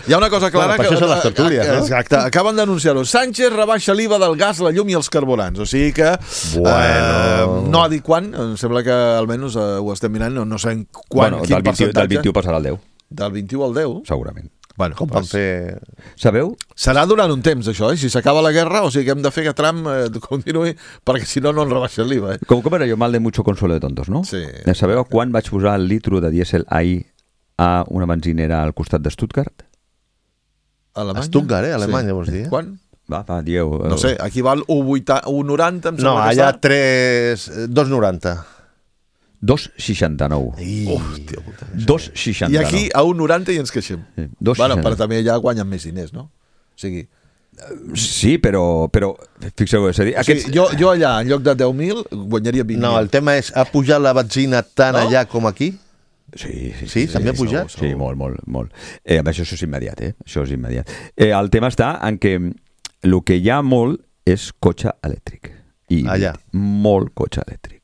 Hi ha una cosa clara... Per això són les tertúlies, no? Exacte, acaben d'anunciar-ho. Sánchez rebaixa l'IVA del gas, la llum i els carburants, o sigui que no ha dit quan, em sembla que almenys ho estem mirant, no sé quan, quin percentatge. Del 21 passarà al 10. Del 21 al 10? Segurament. Bueno, com van fer... Sabeu? Serà durant un temps, això, Si s'acaba la guerra, o sigui que hem de fer que Trump continuï, perquè si no, no en rebaixa l'IVA. Com era jo mal de mucho consuelo de tontos, no? Sí. Sabeu quan vaig posar el litro de dièsel ahir a una benzinera al costat de Stuttgart? Alemanya? Stuttgart, Alemanya, vols dir? Quan? Va, dieu... No sé, aquí val 1,90, em sembla. No, allà 2,90. 2,69. Hòstia puta. 2,69. I aquí a 1,90 i ens queixem. Bueno, però també allà guanyen més diners, no? O sigui... Sí, però fixeu, és a dir... Jo allà, en lloc de 10.000, guanyaria 20.000. No, el tema és, ha pujat la benzina tant allà com aquí? Sí, també ha pujat? Sí, molt. Això és immediat, Això és immediat. El tema està en que el que hi ha molt és cotxe elèctric. I molt cotxe elèctric.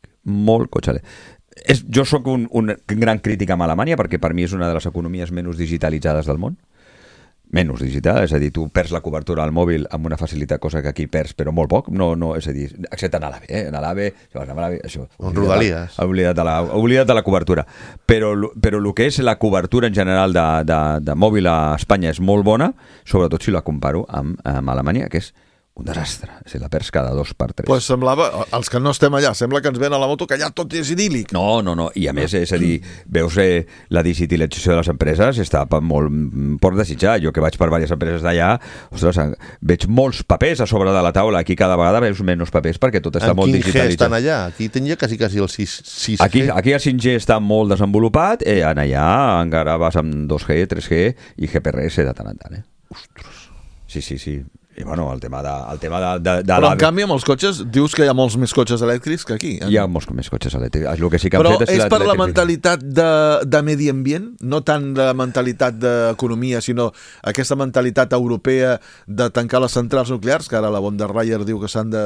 Jo sóc un gran crític amb Alemanya, perquè per mi és una de les economies menys digitalitzades del món. Menys digital, és a dir, tu perds la cobertura al mòbil amb una facilitat, cosa que aquí perds, però molt poc, no, és a dir, excepte en l'AVE, en l'AVE, això, Rodalies. Oblida't de la cobertura, però el que és la cobertura en general de mòbil a Espanya és molt bona, sobretot si la comparo amb Alemanya, que és un desastre, és a dir, la perds cada 2 per 3. Pues semblava, els que no estem allà, sembla que ens ven a la moto que allà tot és idíl·lic. No, i a més, és a dir, veus la digitalització de les empreses està molt per desitjar. Jo que vaig per diverses empreses d'allà, ostres, veig molts papers a sobre de la taula, aquí cada vegada veus menys papers perquè tot està molt digitalitzat. En quin G estan allà? Aquí tenia quasi el 6G. Aquí el 5G està molt desenvolupat, en allà encara vas amb 2G, 3G i GPRS de tant en tant. Ostres. Sí. I bueno, el tema de però en canvi amb els cotxes dius que hi ha molts més cotxes elèctrics que aquí. Hi ha molts més cotxes elèctrics. El que sí que però és per la mentalitat de medi ambient, no tant la mentalitat d'economia, sinó aquesta mentalitat europea de tancar les centrals nuclears, que ara la von der Leyen diu que s'han de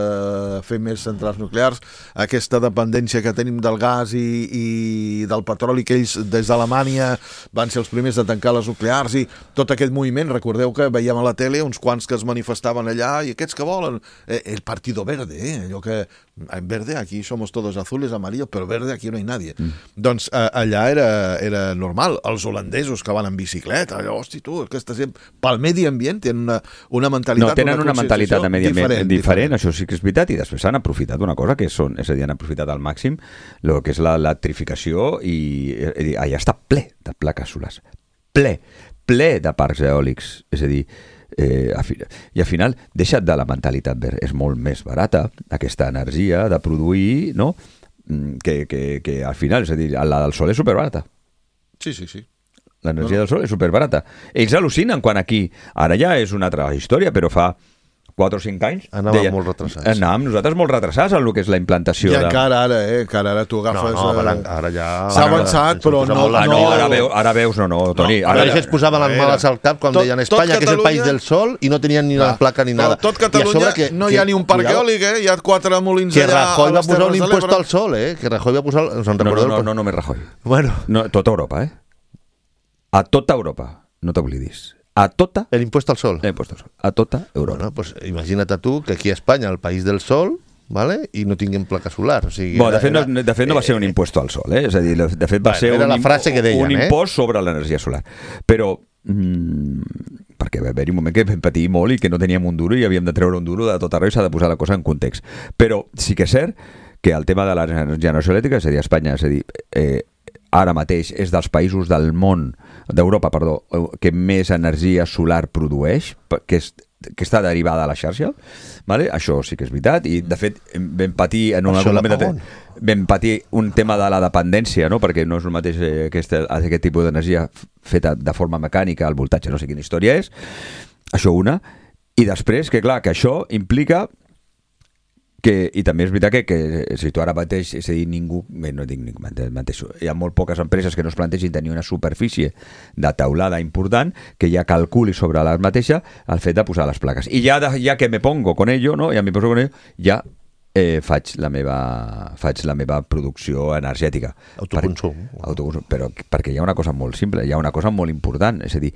fer més centrals nuclears, aquesta dependència que tenim del gas i del petroli, que ells des d'Alemanya van ser els primers de tancar les nuclears, i tot aquest moviment. Recordeu que veiem a la tele uns quants que es manifestaven allà, i aquests que volen el Partido Verde, allò que en verde aquí somos todos azules, amarillos, però verde aquí no hay nadie. Doncs allà era normal. Els holandesos que van en bicicleta, allò, hosti tu, pel medi ambient tenen una mentalitat, tenen una mentalitat de medi ambient diferent, això sí que és veritat, i després han aprofitat una cosa que és a dir, han aprofitat al màxim el que és l'electrificació, i allà està ple de plaques solars, ple de parcs eòlics, és a dir, i al final deixa't de la mentalitat verd, és molt més barata aquesta energia de produir, no? Que al final, és a dir, la del sol és superbarata. Sí. L'energia del sol és superbarata. Ells al·lucinen quan aquí, ara ja és una altra història, però fa 4 o 5 anys anàvem molt retrasats. Anàvem nosaltres molt retrasats en el que és la implantació. I encara ara tu agafes... ara ja... S'ha avançat, però no... Ara veus, Toni. Ara es posaven les males al cap quan deien Espanya, que és el país del sol, i no tenien ni una placa ni nada. Tot Catalunya no hi ha ni un parc eòlic, hi ha 4 molins allà... Que Rajoy va posar un impost al sol, que Rajoy va posar... No només Rajoy. Tota Europa, a tota Europa, no t'oblidis. A tota... L'impuesto al sol. A tota Europa. Bueno, pues imagina't tu que aquí a Espanya, el país del sol, ¿vale? I no tinguem placa solar. O sigui, de fet no va ser un impuesto al sol, és a dir, de fet va ser un impost sobre l'energia solar. Però perquè va haver-hi un moment que vam patir molt i que no teníem un duro i havíem de treure un duro de tot arreu, i s'ha de posar la cosa en context. Però sí que és cert que el tema de la generació elèctrica, és a dir, a Espanya, és a dir, ara mateix és dels països del món, d'Europa, perdó, que més energia solar produeix, que està derivada a la xarxa, vale? Això sí que és veritat, i de fet vam patir en vam patir un tema de la dependència, no? Perquè no és el mateix aquest tipus d'energia feta de forma mecànica, el voltatge, no sé quina història és, això una, i després que clar, que això implica i també és veritat que si tu ara mateix, és a dir, ningú, no dic ningú, hi ha molt poques empreses que no es plantegin tenir una superfície de teulada important que ja calculi sobre la mateixa el fet de posar les plaques. I ja que me pongo con ello, no? Ja me poso con ello, ja faig la meva producció energètica. Autoconsum. Però perquè hi ha una cosa molt simple, hi ha una cosa molt important, és a dir,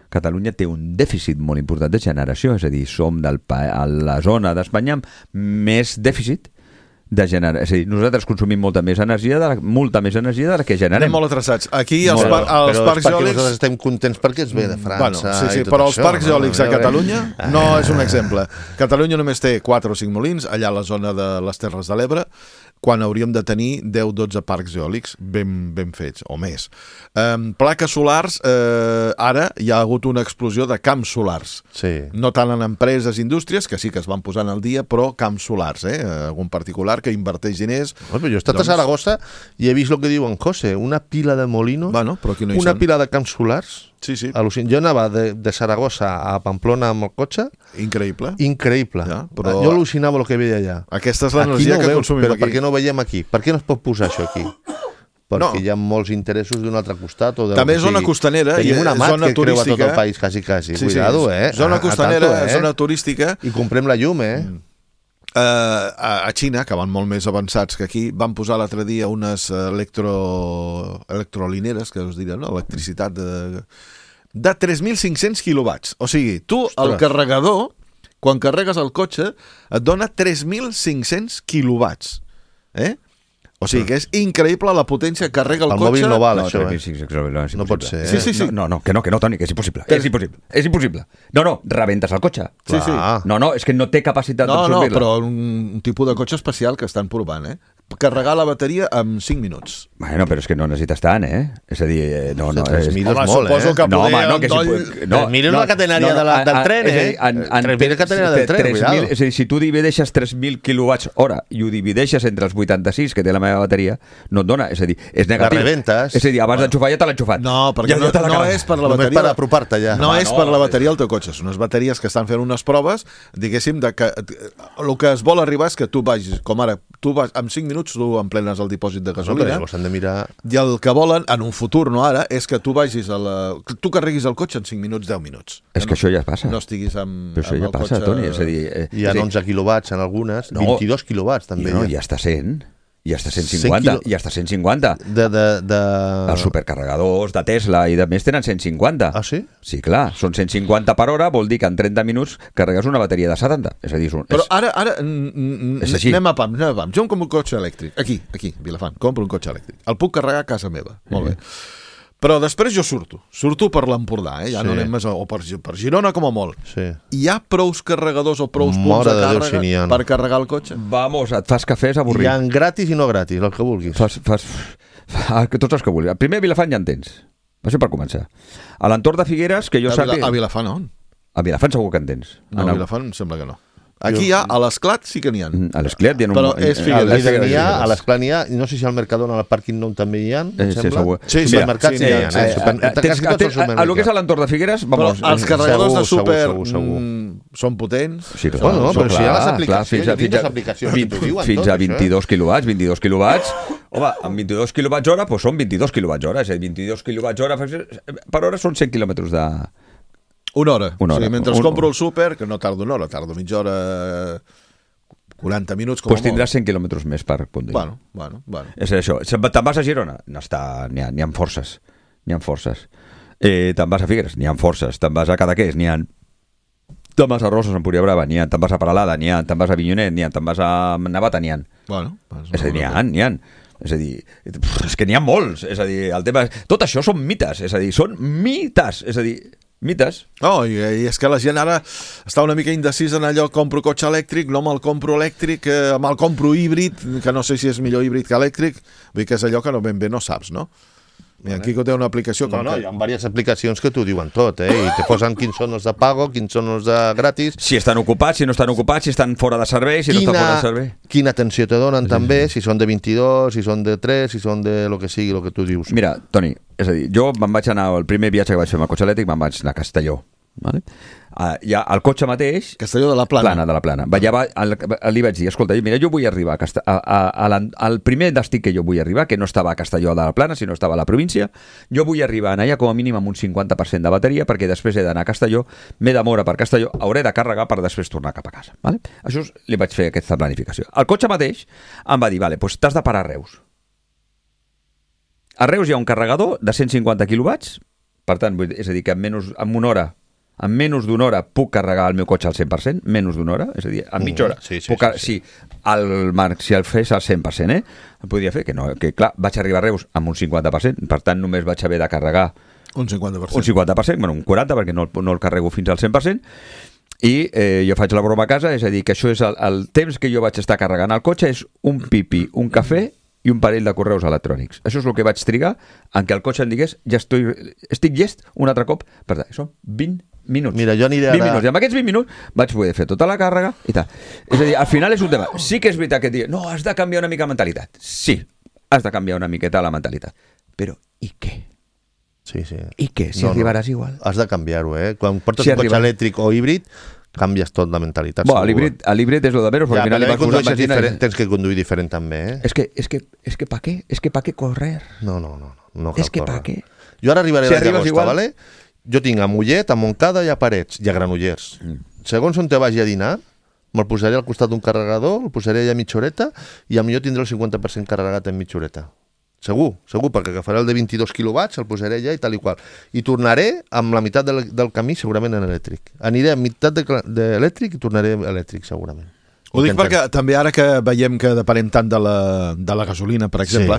Catalunya té un dèficit molt important de generació, és a dir, som a la zona d'Espanya amb més dèficit de generar. És a dir, nosaltres consumim molta més energia de la que generem. Anem molt atrasats. Aquí els parcs eòlics... Però nosaltres estem contents perquè es ve de França i tot però els parcs eòlics a Catalunya no és un exemple. Catalunya només té 4 o 5 molins, allà a la zona de les Terres de l'Ebre, quan hauríem de tenir 10-12 parcs eòlics ben fets, o més. Plaques solars, ara hi ha hagut una explosió de camps solars. Sí. No tant en empreses, indústries, que sí que es van posant al dia, però camps solars, algun particular que inverteix diners. Jo he estat a Saragossa i he vist el que diu en José, una pila de molino, una pila de camps solars. Sí. Jo anava de Saragossa a Pamplona amb el cotxe. Increïble. Ja, però jo al·lucinava el que veia allà. Aquesta és l'energia que consumim però aquí. Per què no ho veiem aquí? Per què no es pot posar això aquí? Perquè hi ha molts interessos d'un altre costat. També és zona costanera. Tenim una mat que creua tot el país, quasi. Cuidado, Zona costanera, zona turística. I comprem la llum, A Xina, que van molt més avançats que aquí, van posar l'altre dia unes electrolineres, que us diré, no? Electricitat de 3.500 quilowatts. O sigui, tu, el carregador, quan carregues el cotxe, et dona 3.500 quilowatts. O sigui que és increïble la potència que carrega el cotxe. El mòbil no val, això. No pot ser. Sí. No, que no, Toni, que és impossible. És impossible. No, rebentes el cotxe. Sí. No, és que no té capacitat d'absorbir-la. No, però un tipus de cotxe especial que estan provant, carregar la bateria en 5 minuts. Bueno, però és que no necessites tant, És a dir, no. 3.000 és molt, suposo que mira la catenària del tren, 3.000 catenària del tren, cuidado. És a dir, si tu divideixes 3.000 quilowatts hora i ho divideixes entre els 86 que té la meva bateria, no et dona, és a dir, és negatiu. La rebentes. És a dir, abans d'enxufar ja te l'ha enxufat. No, perquè no és per la bateria. Només per apropar-te ja. No és per la bateria del teu cotxe, són unes bateries que estan fent unes proves, diguéssim, que el que es vol arribar és que tu vagis, com ara, tu vas, en 5 minuts tu emplenes el dipòsit de gasolina, de mirar... i el que volen, en un futur, no ara, és que tu vagis tu carreguis el cotxe en 5 minuts, 10 minuts. És que això ja passa. No estiguis amb però això ja passa, Toni, és a dir... Hi ha 11 quilowatts en algunes, 22 quilowatts també. No, ja està 100. Ja està 150. Els supercarregadors de Tesla i de més tenen 150. Ah, sí? Sí, clar, són 150 per hora, vol dir que en 30 minuts carregues una bateria de 70. És a dir, però ara anem a pam. Jo em compro un cotxe elèctric, aquí, Vilafant, compro un cotxe elèctric. El puc carregar a casa meva, molt bé. Però després jo surto per l'Empordà, ja no anem més, o per Girona com a molt. Sí. Hi ha prous carregadors o prous punts de càrrega per carregar el cotxe? Vamos, et fas cafès avorrit. Hi ha gratis i no gratis, el que vulguis. Fas tots els que vulguis. Primer a Vilafant ja en tens. Va ser per començar. A l'entorn de Figueres, que jo sàpiga... A Vilafant on? A Vilafant segur que en tens. No, a Vilafant em sembla que no. Aquí a l'Esclat sí que n'hi ha. A l'Esclat hi ha però és Figueres. A l'Esclat n'hi ha, no sé si al Mercadona, al Parking Nou també hi ha, em sembla. Sí, supermercats n'hi ha. A lo que és a l'entorn de Figueres, vamos. Els carregadors de súper són potents. Sí, però si hi ha les aplicacions, fins a 22 quilowatts. Home, amb 22 quilowatts hora, doncs són 22 quilowatts hora. És a dir, 22 quilowatts hora per hora són 100 quilòmetres de... Una hora. O sigui, mentre compro el súper, que no tardo una hora, tardo mitja hora, 40 minuts com a molt. Doncs tindràs 100 quilòmetres més per punt. Bueno. És això. Te'n vas a Girona? No està, n'hi ha forces. Te'n vas a Figueres? N'hi ha forces. Te'n vas a Cadaqués? N'hi ha. Te'n vas a Roses, a Empúria Brava? N'hi ha. Te'n vas a Peralada? N'hi ha. Te'n vas a Avinyonet? N'hi ha. Te'n vas a Navata? N'hi ha. És a dir, n'hi ha. És a dir, és que n'hi ha molts. És a dir, el tema... Tot això són mites. És a dir, són mites. És a dir... Mites. No, i és que la gent ara està una mica indecisa en allò, compro cotxe elèctric, no me'l compro elèctric, me'l compro híbrid, que no sé si és millor híbrid que elèctric, vull dir que és allò que ben bé no saps, no? Mira, aquí té una aplicació... No, hi ha diverses aplicacions que t'ho diuen tot, i te posen quins són els de pago, quins són els de gratis... Si estan ocupats, si no estan ocupats, si estan fora de servei, si no estan fora de servei... Quina atenció te donen també, si són de 22, si són de 3, si són de lo que sigui, lo que tu dius. Mira, Toni, és a dir, jo me'n vaig anar, el primer viatge que vaig fer amb el cotxe elèctric, me'n vaig anar a Castelló. Vale? Ja el cotxe mateix... Castelló de la Plana. De la Plana. Li vaig dir, escolta, mira, jo vull arribar al primer destí que jo vull arribar, que no estava a Castelló de la Plana, sinó estava a la província, jo vull arribar allà com a mínim amb un 50% de bateria, perquè després he d'anar a Castelló, m'he de moure per Castelló, hauré de carregar per després tornar cap a casa. Vale? Això li vaig fer aquesta planificació. El cotxe mateix em va dir, vale, doncs t'has de parar a Reus. A Reus hi ha un carregador de 150 quilowatts, per tant, és a dir, que en menys d'una hora puc carregar el meu cotxe al 100%, menys d'una hora, és a dir, en mitja hora. Sí. Si el fes al 100%, el podria fer, que clar, vaig arribar a Reus amb un 50%, per tant només vaig haver de carregar un 50%. Un 50%, bueno, un 40%, perquè no el carrego fins al 100%, i jo faig la broma a casa, és a dir, que això és el temps que jo vaig estar carregant el cotxe és un pipi, un cafè i un parell de correus electrònics. Això és el que vaig trigar en què el cotxe em digués ja estic llest un altre cop. Per tant, són 20 minuts. Mira, jo aniré 20 minuts. I amb aquests 20 minuts vaig poder fer tota la càrrega i tal. És a dir, al final és un tema. Sí que és veritat que et diuen, no, has de canviar una mica la mentalitat. Sí, has de canviar una miqueta la mentalitat. Però, i què? Sí. I què? Si arribaràs igual. Has de canviar-ho, Quan portes un cotxe elèctric o híbrid, canvies tot la mentalitat. L'híbrid és lo de menos, perquè al final li vas posar benzina. Tens que conduir diferent també, És que pa què? És que pa què correr? No cal és que pa què? Jo ara arribaré a Llagosta, ¿vale? Jo tinc a Mollet, a Montcada i a Parets, i a Granollers. Segons on te vagi a dinar, me'l posaré al costat d'un carregador, el posaré allà a mitja horeta, i potser tindré el 50% carregat en mitja horeta. Segur, perquè agafaré el de 22 quilowatts, el posaré allà i tal i qual. I tornaré amb la meitat del camí segurament en elèctric. Aniré a meitat d'elèctric i tornaré elèctric segurament. Ho dic perquè també ara que veiem que depenem tant de la gasolina, per exemple,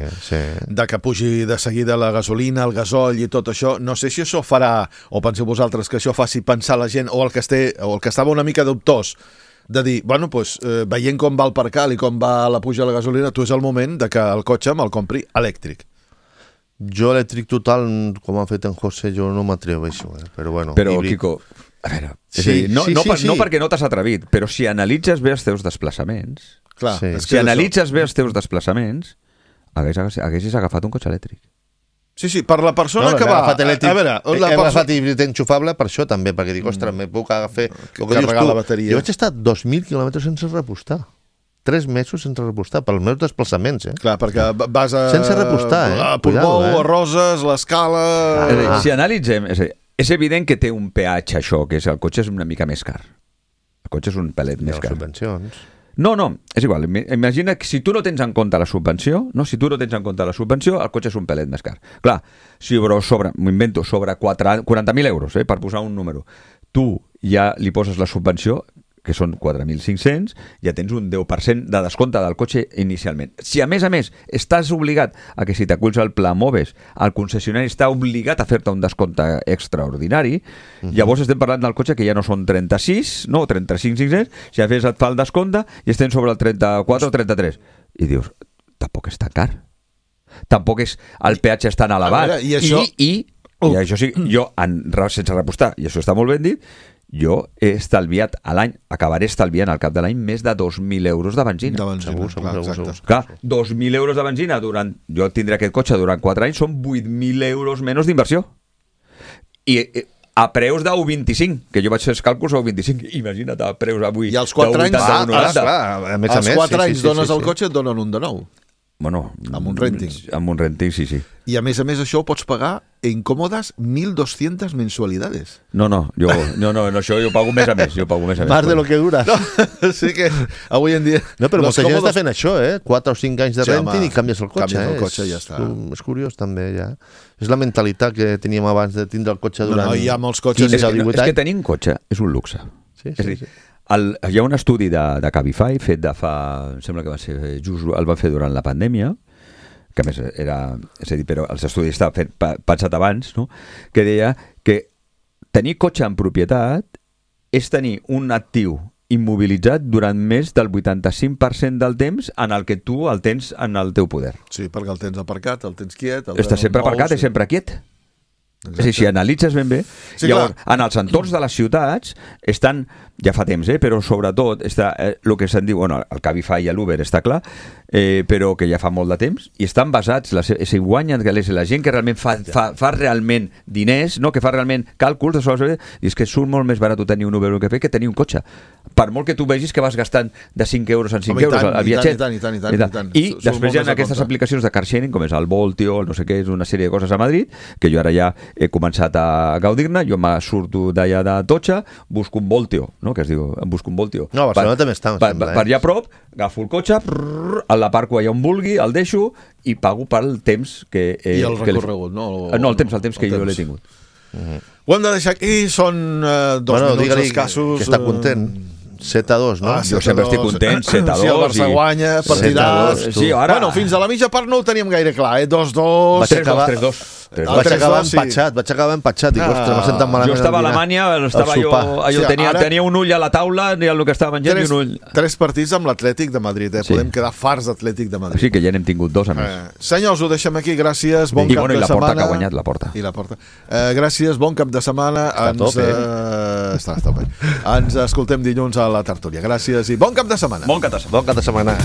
de que pugi de seguida la gasolina, el gasoll i tot això, no sé si això farà, o penseu vosaltres que això faci pensar la gent, o el que estava una mica dubtós, de dir, bueno, doncs, veient com va el percal i com va la puja de la gasolina, tu és el moment de que el cotxe me'l compri elèctric. Jo elèctric total, com ha fet en José, jo no m'atreveixo, però bueno. Però, Quico, a veure, no perquè no t'has atrevit, però si analitzes bé els teus desplaçaments, haguessis agafat un cotxe elèctric. Sí, per la persona que va... A veure, hem agafat híbrid enxufable per això també, perquè dic, ostres, me puc agafar... Carregar la bateria. Jo vaig estar 2.000 quilòmetres sense repostar. 3 mesos sense repostar, pels meus desplaçaments, Clar, perquè vas a... Sense repostar, a Portbou, a Roses, l'Escala... Si analitzem, és evident que té un peatge això, que és el cotxe és una mica més car. El cotxe és un pelet més car. Subvencions... No, és igual. Imagina que si tu no tens en compte la subvenció, el cotxe és un pelet més car. Clar, si m'ho invento, sobre 40.000 euros, per posar un número, tu ja li poses la subvenció, que són 4.500, ja tens un 10% de descompte del cotxe inicialment. Si a més estàs obligat a que si t'aculls al pla MOVES, el concessionari està obligat a fer-te un descompte extraordinari, llavors estem parlant del cotxe que ja no són 35.500, si a més et fa el descompte i estem sobre el 34 o 33. I dius, tampoc és tan car. Tampoc és el peatge és tan elevat. I això... I això sí, jo, sense repostar, i això està molt ben dit, jo he estalviat a l'any, acabaré estalviant al cap de l'any més de 2.000 euros de benzina. Segur. Clar, 2.000 euros de benzina jo tindré aquest cotxe durant 4 anys, són 8.000 euros menys d'inversió. I a preus de 1,25, que jo vaig fer els càlculs a 1,25. Imagina't, a preus avui. I als 4 anys, als 4 anys dones el cotxe, et donen un de nou. Bueno, amb un renting. Amb un renting, sí. I a més això ho pots pagar en còmodes 1.200 mensualidades. No, això jo pago més a més. Más de lo que dura. No, sí que avui en dia... No, però molta gent està fent això, 4 o 5 anys de renting i canvies el cotxe. Canvies el cotxe i ja està. És curiós també, ja. És la mentalitat que teníem abans de tindre el cotxe durant... No, hi ha molts cotxes... 15 o 18 anys. És que tenir un cotxe és un luxe. Sí. Hi ha un estudi de Cabify fet de fa... Em sembla que va ser just... El va fer durant la pandèmia, que a més era... És a dir, però els estudis estaven pensat abans, no? Que deia que tenir cotxe en propietat és tenir un actiu immobilitzat durant més del 85% del temps en el que tu el tens en el teu poder. Sí, perquè el tens aparcat, el tens quiet... Està sempre aparcat i sempre quiet. Exacte. És a dir, si analitzes ben bé, sí, llavors, en els entorns de les ciutats estan, ja fa temps, però sobretot està el que se'n diu, bueno, el Cabify i l'Uber està clar, però que ja fa molt de temps, i estan basats, si guanyen, que la gent que realment fa realment diners, no? Que fa realment càlculs, i és que surt molt més barat tenir un Uber o un cafè que tenir un cotxe. Per molt que tu vegis que vas gastant de 5 euros en 5 euros al viatget. I després hi ha aquestes aplicacions de car sharing, com és el Voltio, no sé què, és una sèrie de coses a Madrid, que jo ara ja he començat a gaudir-ne, jo me surto d'allà de Totxa, busco un Voltio, no? Que es diu, em busco un Voltio. No, a Barcelona també està. Per allà a prop, agafo el cotxe, l'aparco allà on vulgui, el deixo i pago pel temps que... I el recorregut, no? No, el temps que jo l'he tingut. Ho hem de deixar aquí, són 2 minuts escassos. Que està content. 7-2, no? Jo sempre estic content, 7-2. Si el Barça guanya, partidàs... Sí, ara... Bueno, fins a la mitja part no ho teníem gaire clar, 2-2... 3-2. Vaig acabar empatxat. Dic, ostres, m'ha sentat malament. Jo estava a Alemanya, tenia un ull a la taula, ni el que estava menjant, ni un ull. 3 partits amb l'Atlètic de Madrid, Podem quedar farts d'Atlètic de Madrid. Sí, que ja n'hem tingut 2, a més. Senyors, ho deixem aquí, gràcies, bon cap de setmana. I la Porta, que ha guanyat la Porta. I la Porta. Gràcies, bon cap de setmana. Està bé. Ens escoltem dilluns a la tertúlia. Gràcies i bon cap de setmana. Bon cap de setmana.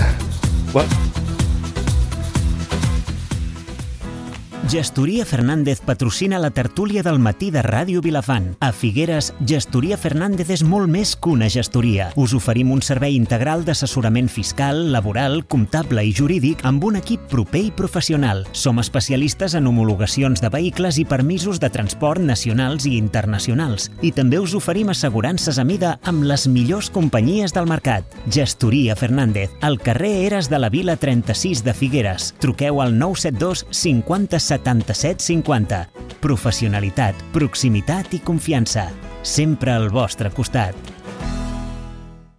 Gestoria Fernández patrocina la tertúlia del matí de Ràdio Vilafant. A Figueres, Gestoria Fernández és molt més que una gestoria. Us oferim un servei integral d'assessorament fiscal, laboral, comptable i jurídic amb un equip proper i professional. Som especialistes en homologacions de vehicles i permisos de transport nacionals i internacionals. I també us oferim assegurances a mida amb les millors companyies del mercat. Gestoria Fernández, al carrer Eres de la Vila 36 de Figueres. Truqueu al 972 50 77 50. Professionalitat, proximitat i confiança. Sempre al vostre costat.